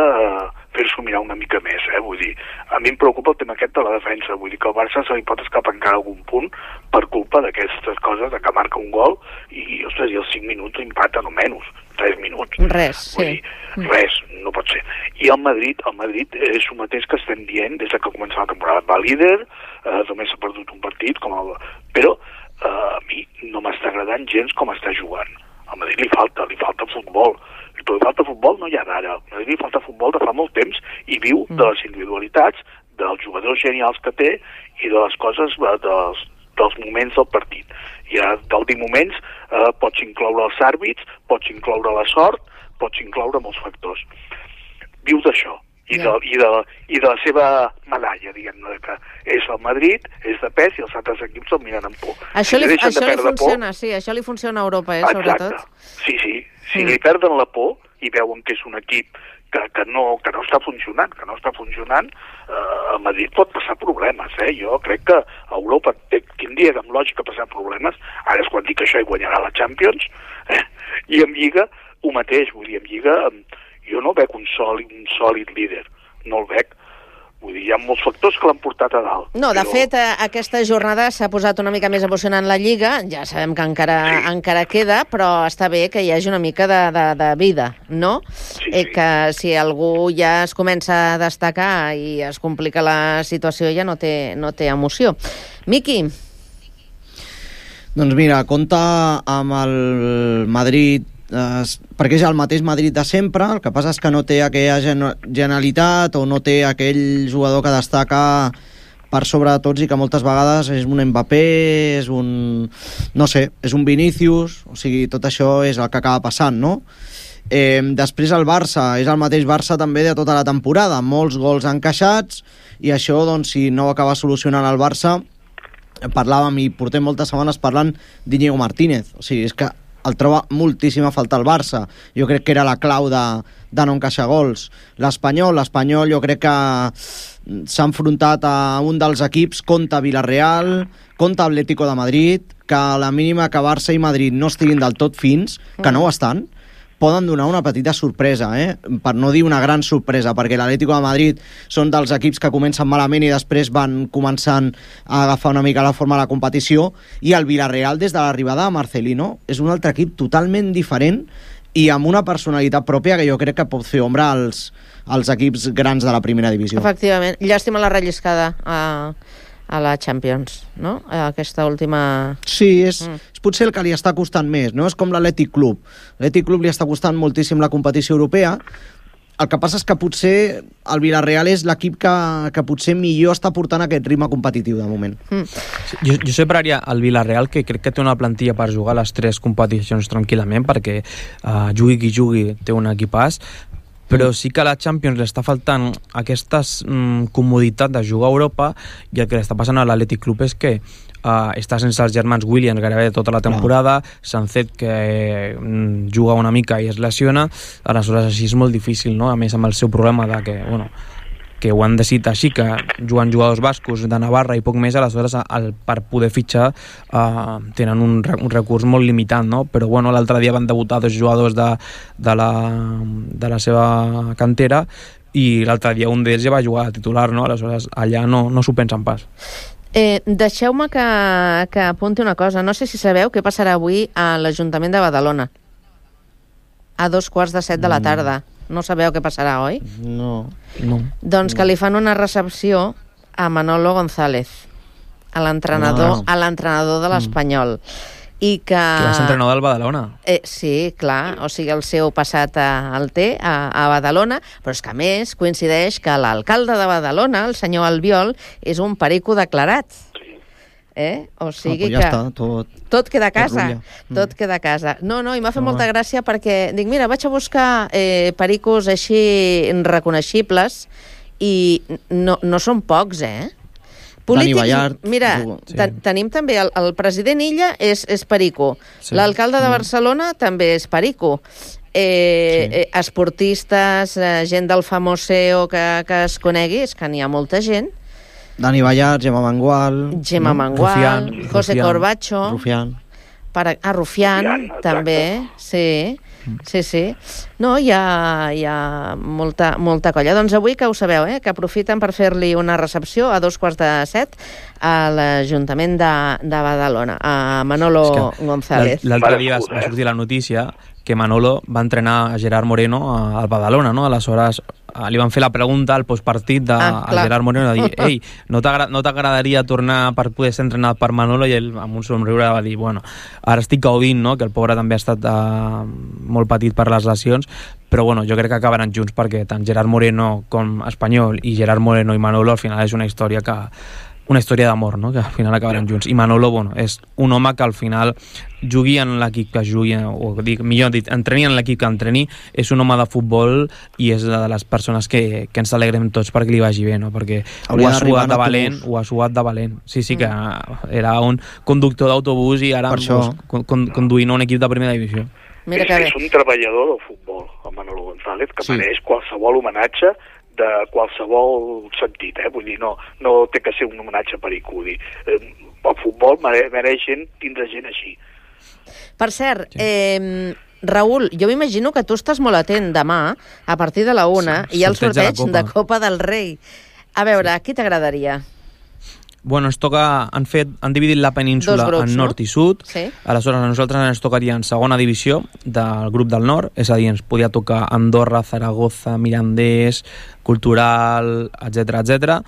fer-s'ho mirar una mica més, vull dir, a mi em preocupa el tema aquest de la defensa, vull dir que al Barça se li pot escapar encara algun punt per culpa d'aquestes coses, de que marca un gol i, ostres, i els 5 minuts empaten o menys, 3 minuts. Res, vull dir, res, no pot ser. I el Madrid és el mateix que estem dient des que comença la temporada. Va líder, només s'ha perdut un partit, però a mi no m'està agradant gens com està jugant. Al Madrid li falta futbol. Però li falta futbol no hi ha d'ara. Al Madrid li falta futbol de fa molt temps i viu de les individualitats, dels jugadors genials que té i de les coses, dels moments del partit. I del dir moments pots incloure els àrbits, pots incloure la sort, pots incloure molts factors. Viu d'això. I de la seva medalla, diguem-ne, que és el Madrid, és de pes i els altres equips el miren amb por. Això li funciona, sí, això li funciona a Europa, sobretot. Sí, si li perden la por i veuen que és un equip que no està funcionant, el Madrid pot passar problemes, Jo crec que a Europa tindria amb lògica passar problemes, ara és quan dic això i guanyarà la Champions, i en Lliga ho mateix, vull dir, en Lliga jo no veig un sòlid líder, no el veig. Vull dir, hi ha molts factors que l'han portat a dalt. No, de fet, aquesta jornada s'ha posat una mica més emocionant la Lliga, ja sabem que encara queda, però està bé que hi hagi una mica de vida, no? Que si algú ja es comença a destacar i es complica la situació ja no té emoció. Miqui? Doncs mira, compta amb el Madrid, perquè és el mateix Madrid de sempre, el que passa és que no té aquella genialitat o no té aquell jugador que destaca per sobre de tots i que moltes vegades és un Mbappé, és un Vinícius, o sigui, tot això és el que acaba passant, no? Després el Barça, és el mateix Barça també de tota la temporada, molts gols encaixats, i això, doncs, si no ho acaba solucionant el Barça, parlàvem i portem moltes setmanes parlant d'Íñigo Martínez, o sigui, és que el troba moltíssim a faltar el Barça. Jo crec que era la clau de no encaixar gols. L'Espanyol jo crec que s'ha enfrontat a un dels equips contra Villarreal, contra Atlético de Madrid, que a la mínima que Barça i Madrid no estiguin del tot fins, que no ho estan, poden donar una petita sorpresa, per no dir una gran sorpresa, perquè l'Atlético de Madrid són dels equips que comencen malament i després van començant a agafar una mica la forma de la competició, i el Villarreal, des de l'arribada de Marcelino, és un altre equip totalment diferent i amb una personalitat pròpia que jo crec que pot fer ombra als equips grans de la primera divisió. Efectivament. Llàstima la relliscada a la Champions, no? Aquesta última... Sí, és potser el que li està costant més, no? És com l'Atlètic Club. L'Atlètic Club li està costant moltíssim la competició europea. El que passa és que potser el Villarreal és l'equip que potser millor està portant aquest ritme competitiu de moment. Jo separaria el Villarreal, que crec que té una plantilla per jugar les 3 competicions tranquil·lament, perquè jugui qui jugui té un equipàs, però sí que a la Champions li està faltant aquesta comoditat de jugar a Europa, i el que li està passant a l'Atlètic Club és que està sense els germans Williams gairebé tota la temporada, Sancet que juga una mica i es lesiona, aleshores així és molt difícil, no? A més amb el seu problema de que ho han decidit així, que juguen jugadors bascos de Navarra i poc més, aleshores per poder fitxar tenen un recurs molt limitat, no? Però bueno, l'altre dia van debutar 2 jugadors de la seva cantera i l'altre dia un d'ells ja va jugar a titular, no? Aleshores allà no s'ho pensen pas. Deixeu-me que apunti una cosa. No sé si sabeu què passarà avui a l'Ajuntament de Badalona a 2:15 de la tarda. No sabeu què passarà, oi? No. Doncs que li fan una recepció a Manolo González, a l'entrenador de l'Espanyol. I que va ser entrenador del Badalona. Sí, clar, o sigui, el seu passat el té a Badalona, però és que a més coincideix que l'alcalde de Badalona, el senyor Albiol, és un perico declarat. O sigui ja que està, tot queda a casa. Tot queda a casa. No, i m'ha fet molta gràcia perquè dic, mira, vaig a buscar pericos així reconeixibles i no són pocs, polítics, mira, tenim també el president Illa és perico, l'alcalde de Barcelona també és perico, esportistes, gent del famoseo que es conegui, és que n'hi ha molta gent. Dani Ballart, Gemma Mangual, José Corbacho, Rufián, també, sí. No, hi ha molta colla. Doncs avui, que ho sabeu, que aprofiten per fer-li una recepció a 2:15 a l'Ajuntament de Badalona, a Manolo González. L'altre dia va sortir la notícia que Manolo va entrenar a Gerard Moreno al Badalona, no? Aleshores li van fer la pregunta al postpartit a Gerard Moreno, de dir, ei, no t'agradaria tornar per poder ser entrenat per Manolo? I ell amb un somriure va dir, bueno, ara estic gaudint, no? Que el pobre també ha estat molt patit per les lesions, però bueno, jo crec que acabaran junts perquè tant Gerard Moreno com Espanyol i Gerard Moreno i Manolo al final és una història d'amor, no? Que al final acabaran junts. I Manolo, bueno, és un home que al final jugui en l'equip que jugui, o millor dit, entreni en l'equip que entreni, és un home de futbol i és de les persones que ens alegrem tots perquè li vagi bé, no? Perquè ho ha suat de valent. Sí, que era un conductor d'autobús i ara conduint un equip de primera divisió. És un treballador del futbol, el Manolo González, que mereix qualsevol homenatge de qualsevol sentit, vull dir, no té que ser un homenatge perico, el futbol mereix tindre gent així. Per cert, Raül, jo m'imagino que tu estàs molt atent demà, a partir de la 1, hi ha el sorteig de Copa del Rei. A veure, qui t'agradaria? Bueno, ens toca, han dividit la península en nord i sud, aleshores a nosaltres ens tocaria en segona divisió del grup del nord, és a dir, ens podia tocar Andorra, Zaragoza, Mirandés, Cultural, etc.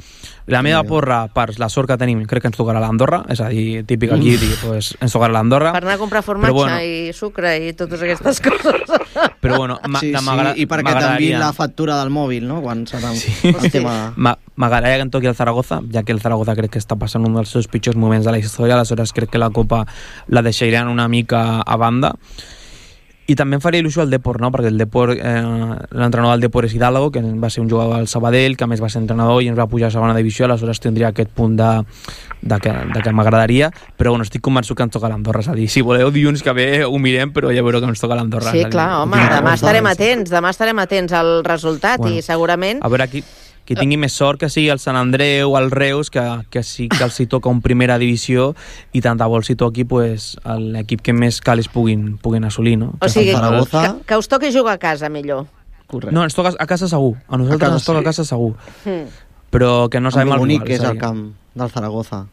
La meva porra, per la sort que tenim, crec que ens tocarà l'Andorra, és a dir, típic aquí, pues, ens tocarà l'Andorra. Per anar a comprar formatge i sucre i totes aquestes coses. Però bueno, i perquè t'enviïn la factura del mòbil, no? Quan serà el tema... M'agradaria que em toqui el Zaragoza, ja que el Zaragoza crec que està passant un dels seus pitjors moments de la història, aleshores crec que la Copa la deixaran una mica a banda. I també em faria il·lusió el Depor, no? Perquè l'entrenador del Depor és Hidalgo, que va ser un jugador del Sabadell, que a més va ser entrenador i ens va pujar a segona divisió, aleshores tindria aquest punt de que m'agradaria, però bueno, estic convençut que ens toca l'Andorra, és a dir, si voleu dilluns que ve ho mirem, però ja veureu que ens toca l'Andorra. Sí, clar, home, demà estarem atents al resultat i segurament... A veure, qui qui tingui més sort que sigui el Sant Andreu o el Reus, que sí que els hi toca un primera divisió, i tant de bo els hi toqui l'equip que més cales puguin assolir, no? O sigui, que us toqui jugar a casa, millor. Correcte. No, ens toca a casa segur. A nosaltres ens toca a casa segur. Però que no sabem el rival. Bonic que és el camp del Zaragoza.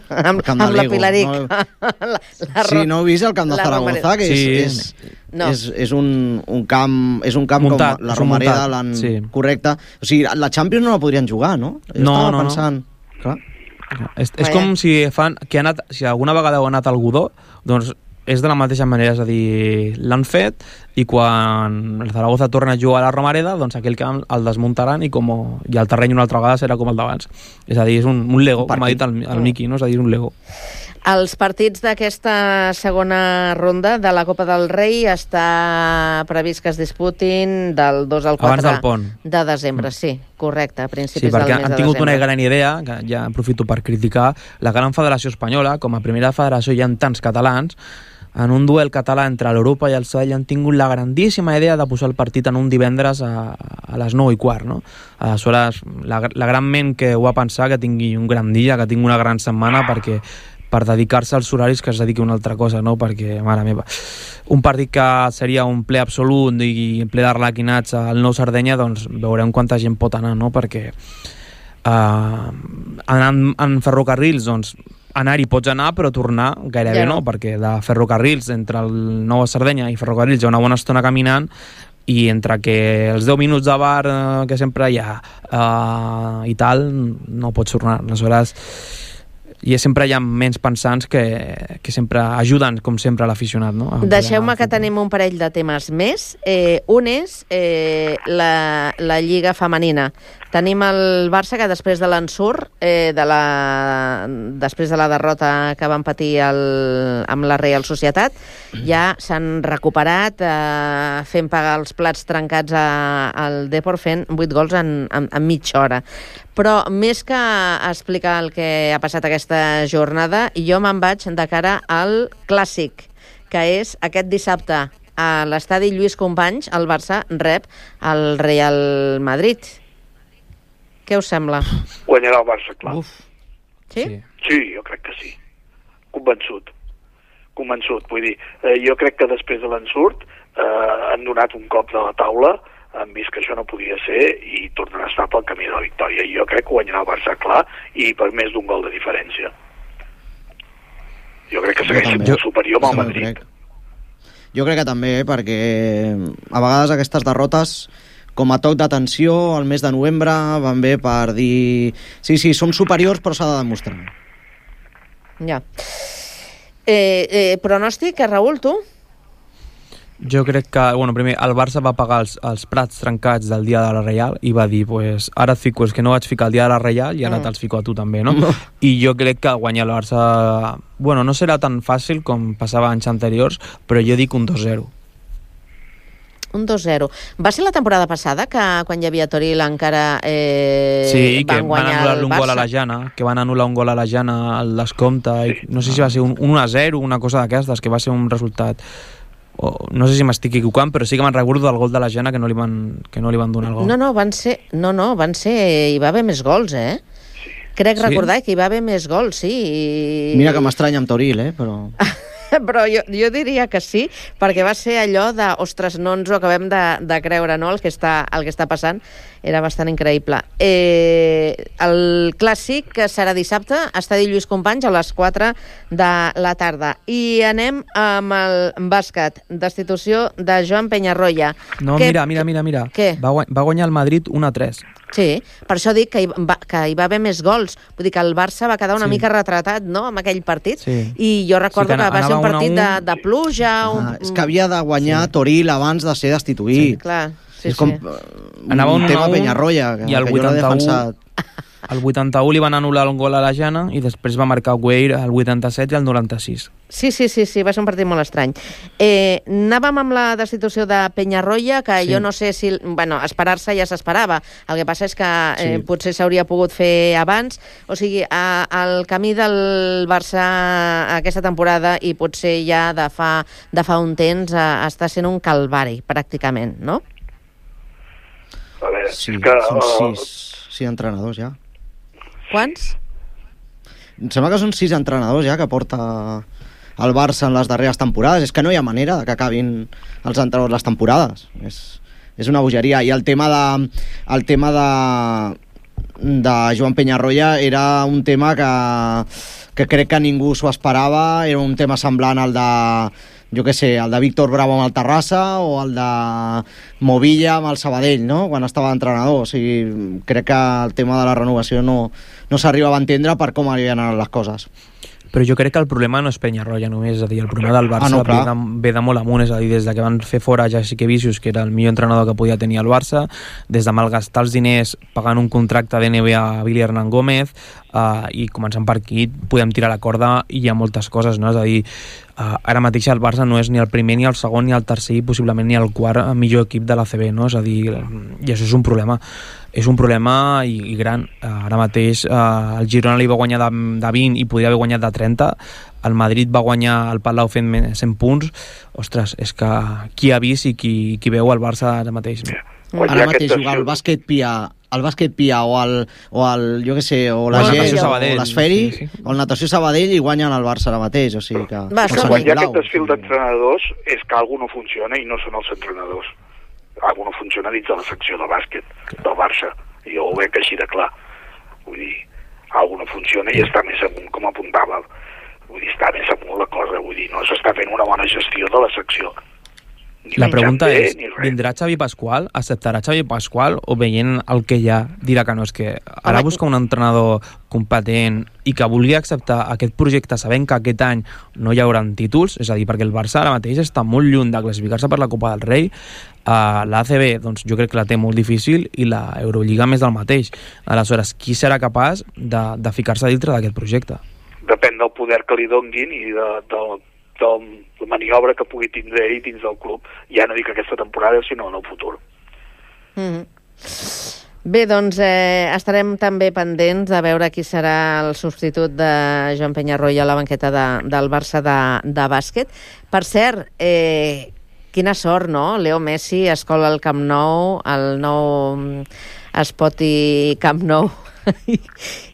amb la Pilaric. No? Sí, no heu vist el camp de Zaragoza, que és un camp muntat, com la Romareda l'han... Correcte. O sigui, la Champions no la podrien jugar, no? Estava pensant... Clar. És com si alguna vegada heu anat al Godó, doncs és de la mateixa manera, és a dir, l'han fet i quan el Zaragoza torna a jugar a la Romareda, doncs aquell camp el desmuntaran i el terreny una altra vegada serà com el d'abans. És a dir, és un Lego, com ha dit el Miqui, no? És a dir, un Lego. Els partits d'aquesta segona ronda de la Copa del Rei està previst que es disputin del 2 al 4 de desembre. Sí, correcte, a principis del mes de desembre. Sí, perquè han tingut una gran idea, que ja aprofito per criticar, la gran federació espanyola, com a primera federació hi ha tants catalans, en un duel català entre l'Europa i el Sabadell han tingut la grandíssima idea de posar el partit en un divendres a les 9:15, no? Aleshores, la gran ment que ho va pensar, que tingui un gran dia, que tingui una gran setmana, per dedicar-se als horaris que es dediqui a una altra cosa, no? Perquè, mare meva, un partit que seria un ple absolut i ple d'arlequinats al Nou Sardenya, doncs veurem quanta gent pot anar, no? Perquè anant en ferrocarrils, doncs anar-hi pots anar, però tornar gairebé no, perquè de ferrocarrils entre el Nou Sardenya i ferrocarrils hi ha una bona estona caminant, i entre que els 10 minuts de bar que sempre hi ha i tal, no pots tornar. Aleshores, sempre hi ha menys pensants que sempre ajuden, com sempre, a l'aficionat, no? Deixeu-me que tenim un parell de temes més. Un és la Lliga femenina. Tenim el Barça que després de l'ensurt, després de la derrota que van patir amb la Real Societat, ja s'han recuperat fent pagar els plats trencats al Depor, fent 8 gols en mitja hora. Però més que explicar el que ha passat aquesta jornada, jo me'n vaig de cara al Clàssic, que és aquest dissabte a l'estadi Lluís Companys. El Barça rep el Real Madrid. Què us sembla? Guanyarà el Barça, clar. Sí? Sí, jo crec que sí. Convençut. Vull dir, jo crec que després de l'ensurt han donat un cop de la taula, han vist que això no podia ser i tornen a estar pel camí de la victòria. I jo crec que guanyarà el Barça, clar, i per més d'un gol de diferència. Jo crec que segueix sent molt superior amb el Madrid. Jo crec que també, perquè a vegades aquestes derrotes, com a toc d'atenció, al mes de novembre van bé per dir sí, som superiors, però s'ha de demostrar. Ja. Pronòstic, Raül, tu? Jo crec que, primer, el Barça va pagar els plats trencats del dia de la Reial i va dir, ara et fico els que no vaig ficar el dia de la Reial i ara te'ls fico a tu també, no? I jo crec que guanyar el Barça, no serà tan fàcil com passava anys anteriors, però jo dic un 2-0. Un 2-0. Va ser la temporada passada que quan hi havia Toril encara sí, que van anul·lar un gol a la Jana, que van anul·lar un gol a la Jana al descompte, i no sé si va ser un 1-0, una cosa d'aquestes, que va ser un resultat... no sé si m'estic equivocant, però sí que me'n recordo del gol de la Jana que no li van donar el gol. No, van ser... Hi va haver més gols, Crec recordar que hi va haver més gols, sí. Mira que m'estranya amb Toril, però... Però jo diria que sí, perquè va ser allò de, ostres, no ens ho acabem de creure, no? El que està passant era bastant increïble. El Clàssic, que serà dissabte, estadi Lluís Companys a les 4 de la tarda. I anem amb el bàsquet. Destitució de Joan Peñarroya. No, mira. Què? Va guanyar el Madrid 1-3. Sí, per això dic que hi va haver més gols. Vull dir que el Barça va quedar una mica retratat, no?, amb aquell partit. Sí. I jo recordo que va ser un partit de pluja... És que havia de guanyar Toril abans de ser destituït. Sí, clar. És com un tema Peñarroya, que jo l'he defensat. Al 81 li van anul·lar un gol a la Jana i després va marcar Weir al 87 i al 96. Sí, va ser un partit molt estrany. Anàvem amb la destitució de Peñarroya, que jo no sé si... esperar-se ja s'esperava. El que passa és que potser s'hauria pogut fer abans. O sigui, el camí del Barça aquesta temporada i potser ja de fa un temps està sent un calvari, pràcticament, no? A veure, Sí, és que... són 6 entrenadors ja. Quants? Em sembla que són 6 entrenadors ja que porta el Barça en les darreres temporades. És que no hi ha manera que acabin els entrenadors les temporades. És una bogeria. I el tema de Joan Peñarroya era un tema que crec que ningú s'ho esperava. Era un tema semblant al de, jo què sé, el de Víctor Bravo amb el Terrassa o el de Movilla amb el Sabadell, no?, quan estava d'entrenador. O sigui, crec que el tema de la renovació no s'arribava a entendre per com havien anat les coses. Però jo crec que el problema no és Peñarroya només, és a dir, el problema del Barça ve de molt amunt, és a dir, des que van fer fora Jasikevičius, que era el millor entrenador que podia tenir el Barça, des de malgastar els diners pagant un contracte d'NBA a Billy Hernán Gómez, i començant per aquí podem tirar la corda i hi ha moltes coses, no? És a dir, ara mateix el Barça no és ni el primer, ni el segon, ni el tercer i possiblement ni el quart millor equip de l'ACB, no? És a dir, i això és un problema. És un problema i gran. Ara mateix el Girona li va guanyar de 20 i podria haver guanyat de 30. El Madrid va guanyar el Palau fent 100 punts. Ostres, és que qui ha vist i qui veu el Barça ara mateix? Ara mateix jugar al bàsquet Pia o el jo què sé, o la GES o l'Esferi o el Natació Sabadell i guanyen el Barça ara mateix, o sigui que... Quan hi ha aquest desfil d'entrenadors és que alguna no funciona i no són els entrenadors. Alguna no funciona dins de la secció de bàsquet del Barça, i jo ho veig així de clar. Vull dir, alguna no funciona i està més amunt, com apuntava. Vull dir, està més amunt la cosa, vull dir, no s'està fent una bona gestió de la secció. La pregunta és, vindrà Xavi Pasqual, acceptarà Xavi Pasqual o veient el que hi ha dirà que no? És que ara busca un entrenador competent i que vulgui acceptar aquest projecte sabent que aquest any no hi haurà títols, és a dir, perquè el Barça ara mateix està molt lluny de classificar-se per la Copa del Rei, l'ACB doncs, jo crec que la té molt difícil i la Eurolliga més del mateix. Aleshores, qui serà capaç de ficar-se dintre d'aquest projecte? Depèn del poder que li donguin i de la maniobra que pugui tindre ell dins del club, ja no dic aquesta temporada sinó en el futur. Bé, doncs estarem també pendents de veure qui serà el substitut de Joan Peñarroya a la banqueta del Barça de bàsquet. Per cert, quina sort, no? Leo Messi escola el Camp Nou, el nou Spotify Camp Nou.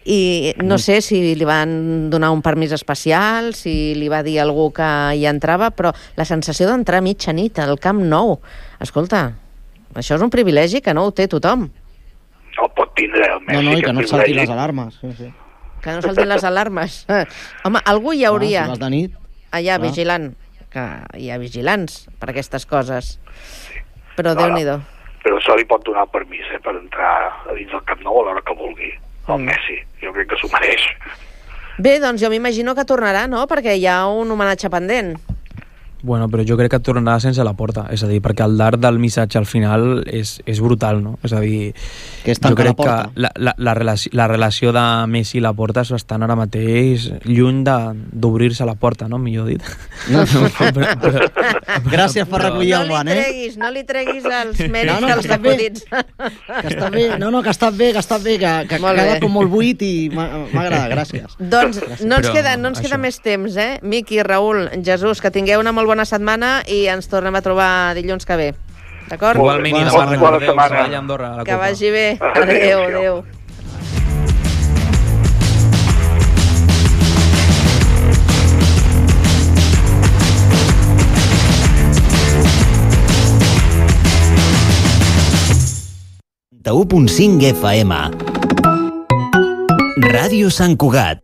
I no sé si li van donar un permís especial, si li va dir a algú que hi entrava, però la sensació d'entrar a mitjanit al Camp Nou, escolta, això és un privilegi que no ho té tothom. No pot tindre el Messi. No, i que no saltin les alarmes. Sí. Que no saltin les alarmes. Home, algú hi hauria si vas de nit, allà vigilant, que hi ha vigilants per aquestes coses. Però Déu-n'hi-do. Però això li pot donar el permís per entrar a dins del Camp Nou a l'hora que vulgui. El Messi, jo crec que s'ho mereix. Bé, doncs jo m'imagino que tornarà, no? Perquè hi ha un homenatge pendent. Bueno, però jo crec que tornarà sense la porta, és a dir, perquè el d'art del missatge al final és brutal, no? És a dir, jo crec que la relació de Messi i la porta és bastant ara mateix lluny d'obrir-se la porta, no? Millor dit. Gràcies per recollir el guant, No li treguis els mèrits dels acudits. Que està bé, que està bé, que ha quedat com molt buit i m'agrada, gràcies. Doncs no ens queda més temps, Miqui, Raül, Jesús, que tingueu una molt bona setmana i ens tornem a trobar dilluns que ve. D'acord? Igualment, i demà recordeu, Sabadell Andorra a la Copa. Que vagi bé. Adéu. FM. Ràdio Sant Cugat.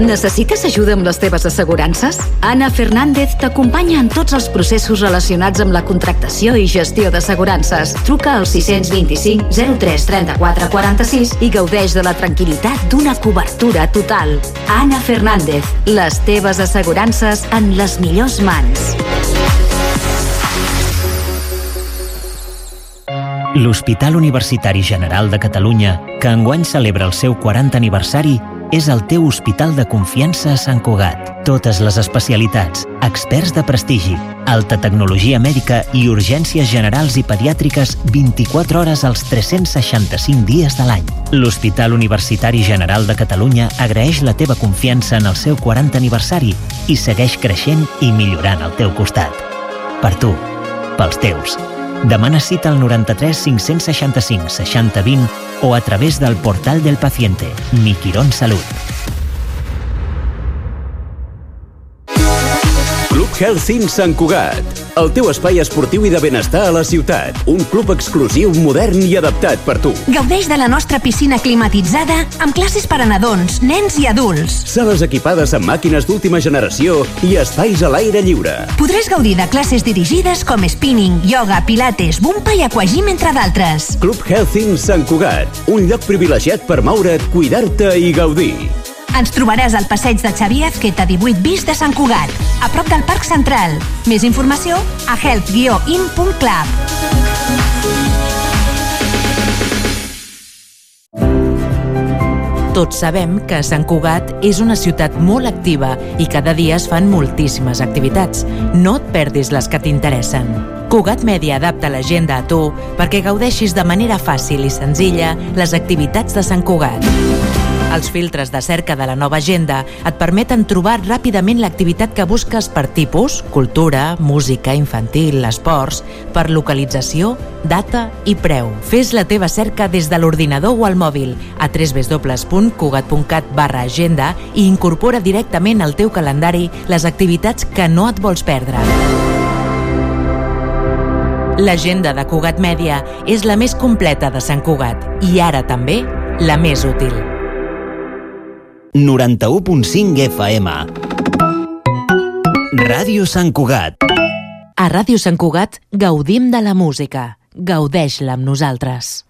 Necessites ajuda amb les teves assegurances? Anna Fernández t'acompanya en tots els processos relacionats amb la contractació i gestió d'assegurances. Truca al 625 03 34 46 i gaudeix de la tranquil·litat d'una cobertura total. Anna Fernández, les teves assegurances en les millors mans. L'Hospital Universitari General de Catalunya, que enguany celebra el seu 40 aniversari, és el teu hospital de confiança a Sant Cugat. Totes les especialitats, experts de prestigi, alta tecnologia mèdica i urgències generals i pediàtriques 24 hores als 365 dies de l'any. L'Hospital Universitari General de Catalunya agraeix la teva confiança en el seu 40 aniversari i segueix creixent i millorant al teu costat. Per tu, pels teus. Demana cita al 93 565 60 20 o a través del portal del paciente. Mi Quirón Salut. Club Health in Sant Cugat. El teu espai esportiu i de benestar a la ciutat. Un club exclusiu, modern i adaptat per tu. Gaudeix de la nostra piscina climatitzada amb classes per a nadons, nens i adults. Sales equipades amb màquines d'última generació i espais a l'aire lliure. Podràs gaudir de classes dirigides com spinning, ioga, pilates, bumpa i aquagym, entre d'altres. Club Health in Sant Cugat. Un lloc privilegiat per moure't, cuidar-te i gaudir. Ens trobaràs al passeig de Xavier Azqueta 18 bis de Sant Cugat, a prop del Parc Central. Més informació a health-in.club. Tots sabem que Sant Cugat és una ciutat molt activa i cada dia es fan moltíssimes activitats. No et perdis les que t'interessen. Cugat Mèdia adapta l'agenda a tu perquè gaudeixis de manera fàcil i senzilla les activitats de Sant Cugat. Els filtres de cerca de la nova agenda et permeten trobar ràpidament l'activitat que busques per tipus, cultura, música, infantil, esports, per localització, data i preu. Fes la teva cerca des de l'ordinador o al mòbil a www.cugat.cat/agenda i incorpora directament al teu calendari les activitats que no et vols perdre. L'agenda de Cugat Mèdia és la més completa de Sant Cugat i ara també la més útil. 91.5 FM. Ràdio Sant Cugat. A Ràdio Sant Cugat gaudim de la música. Gaudeix-la amb nosaltres.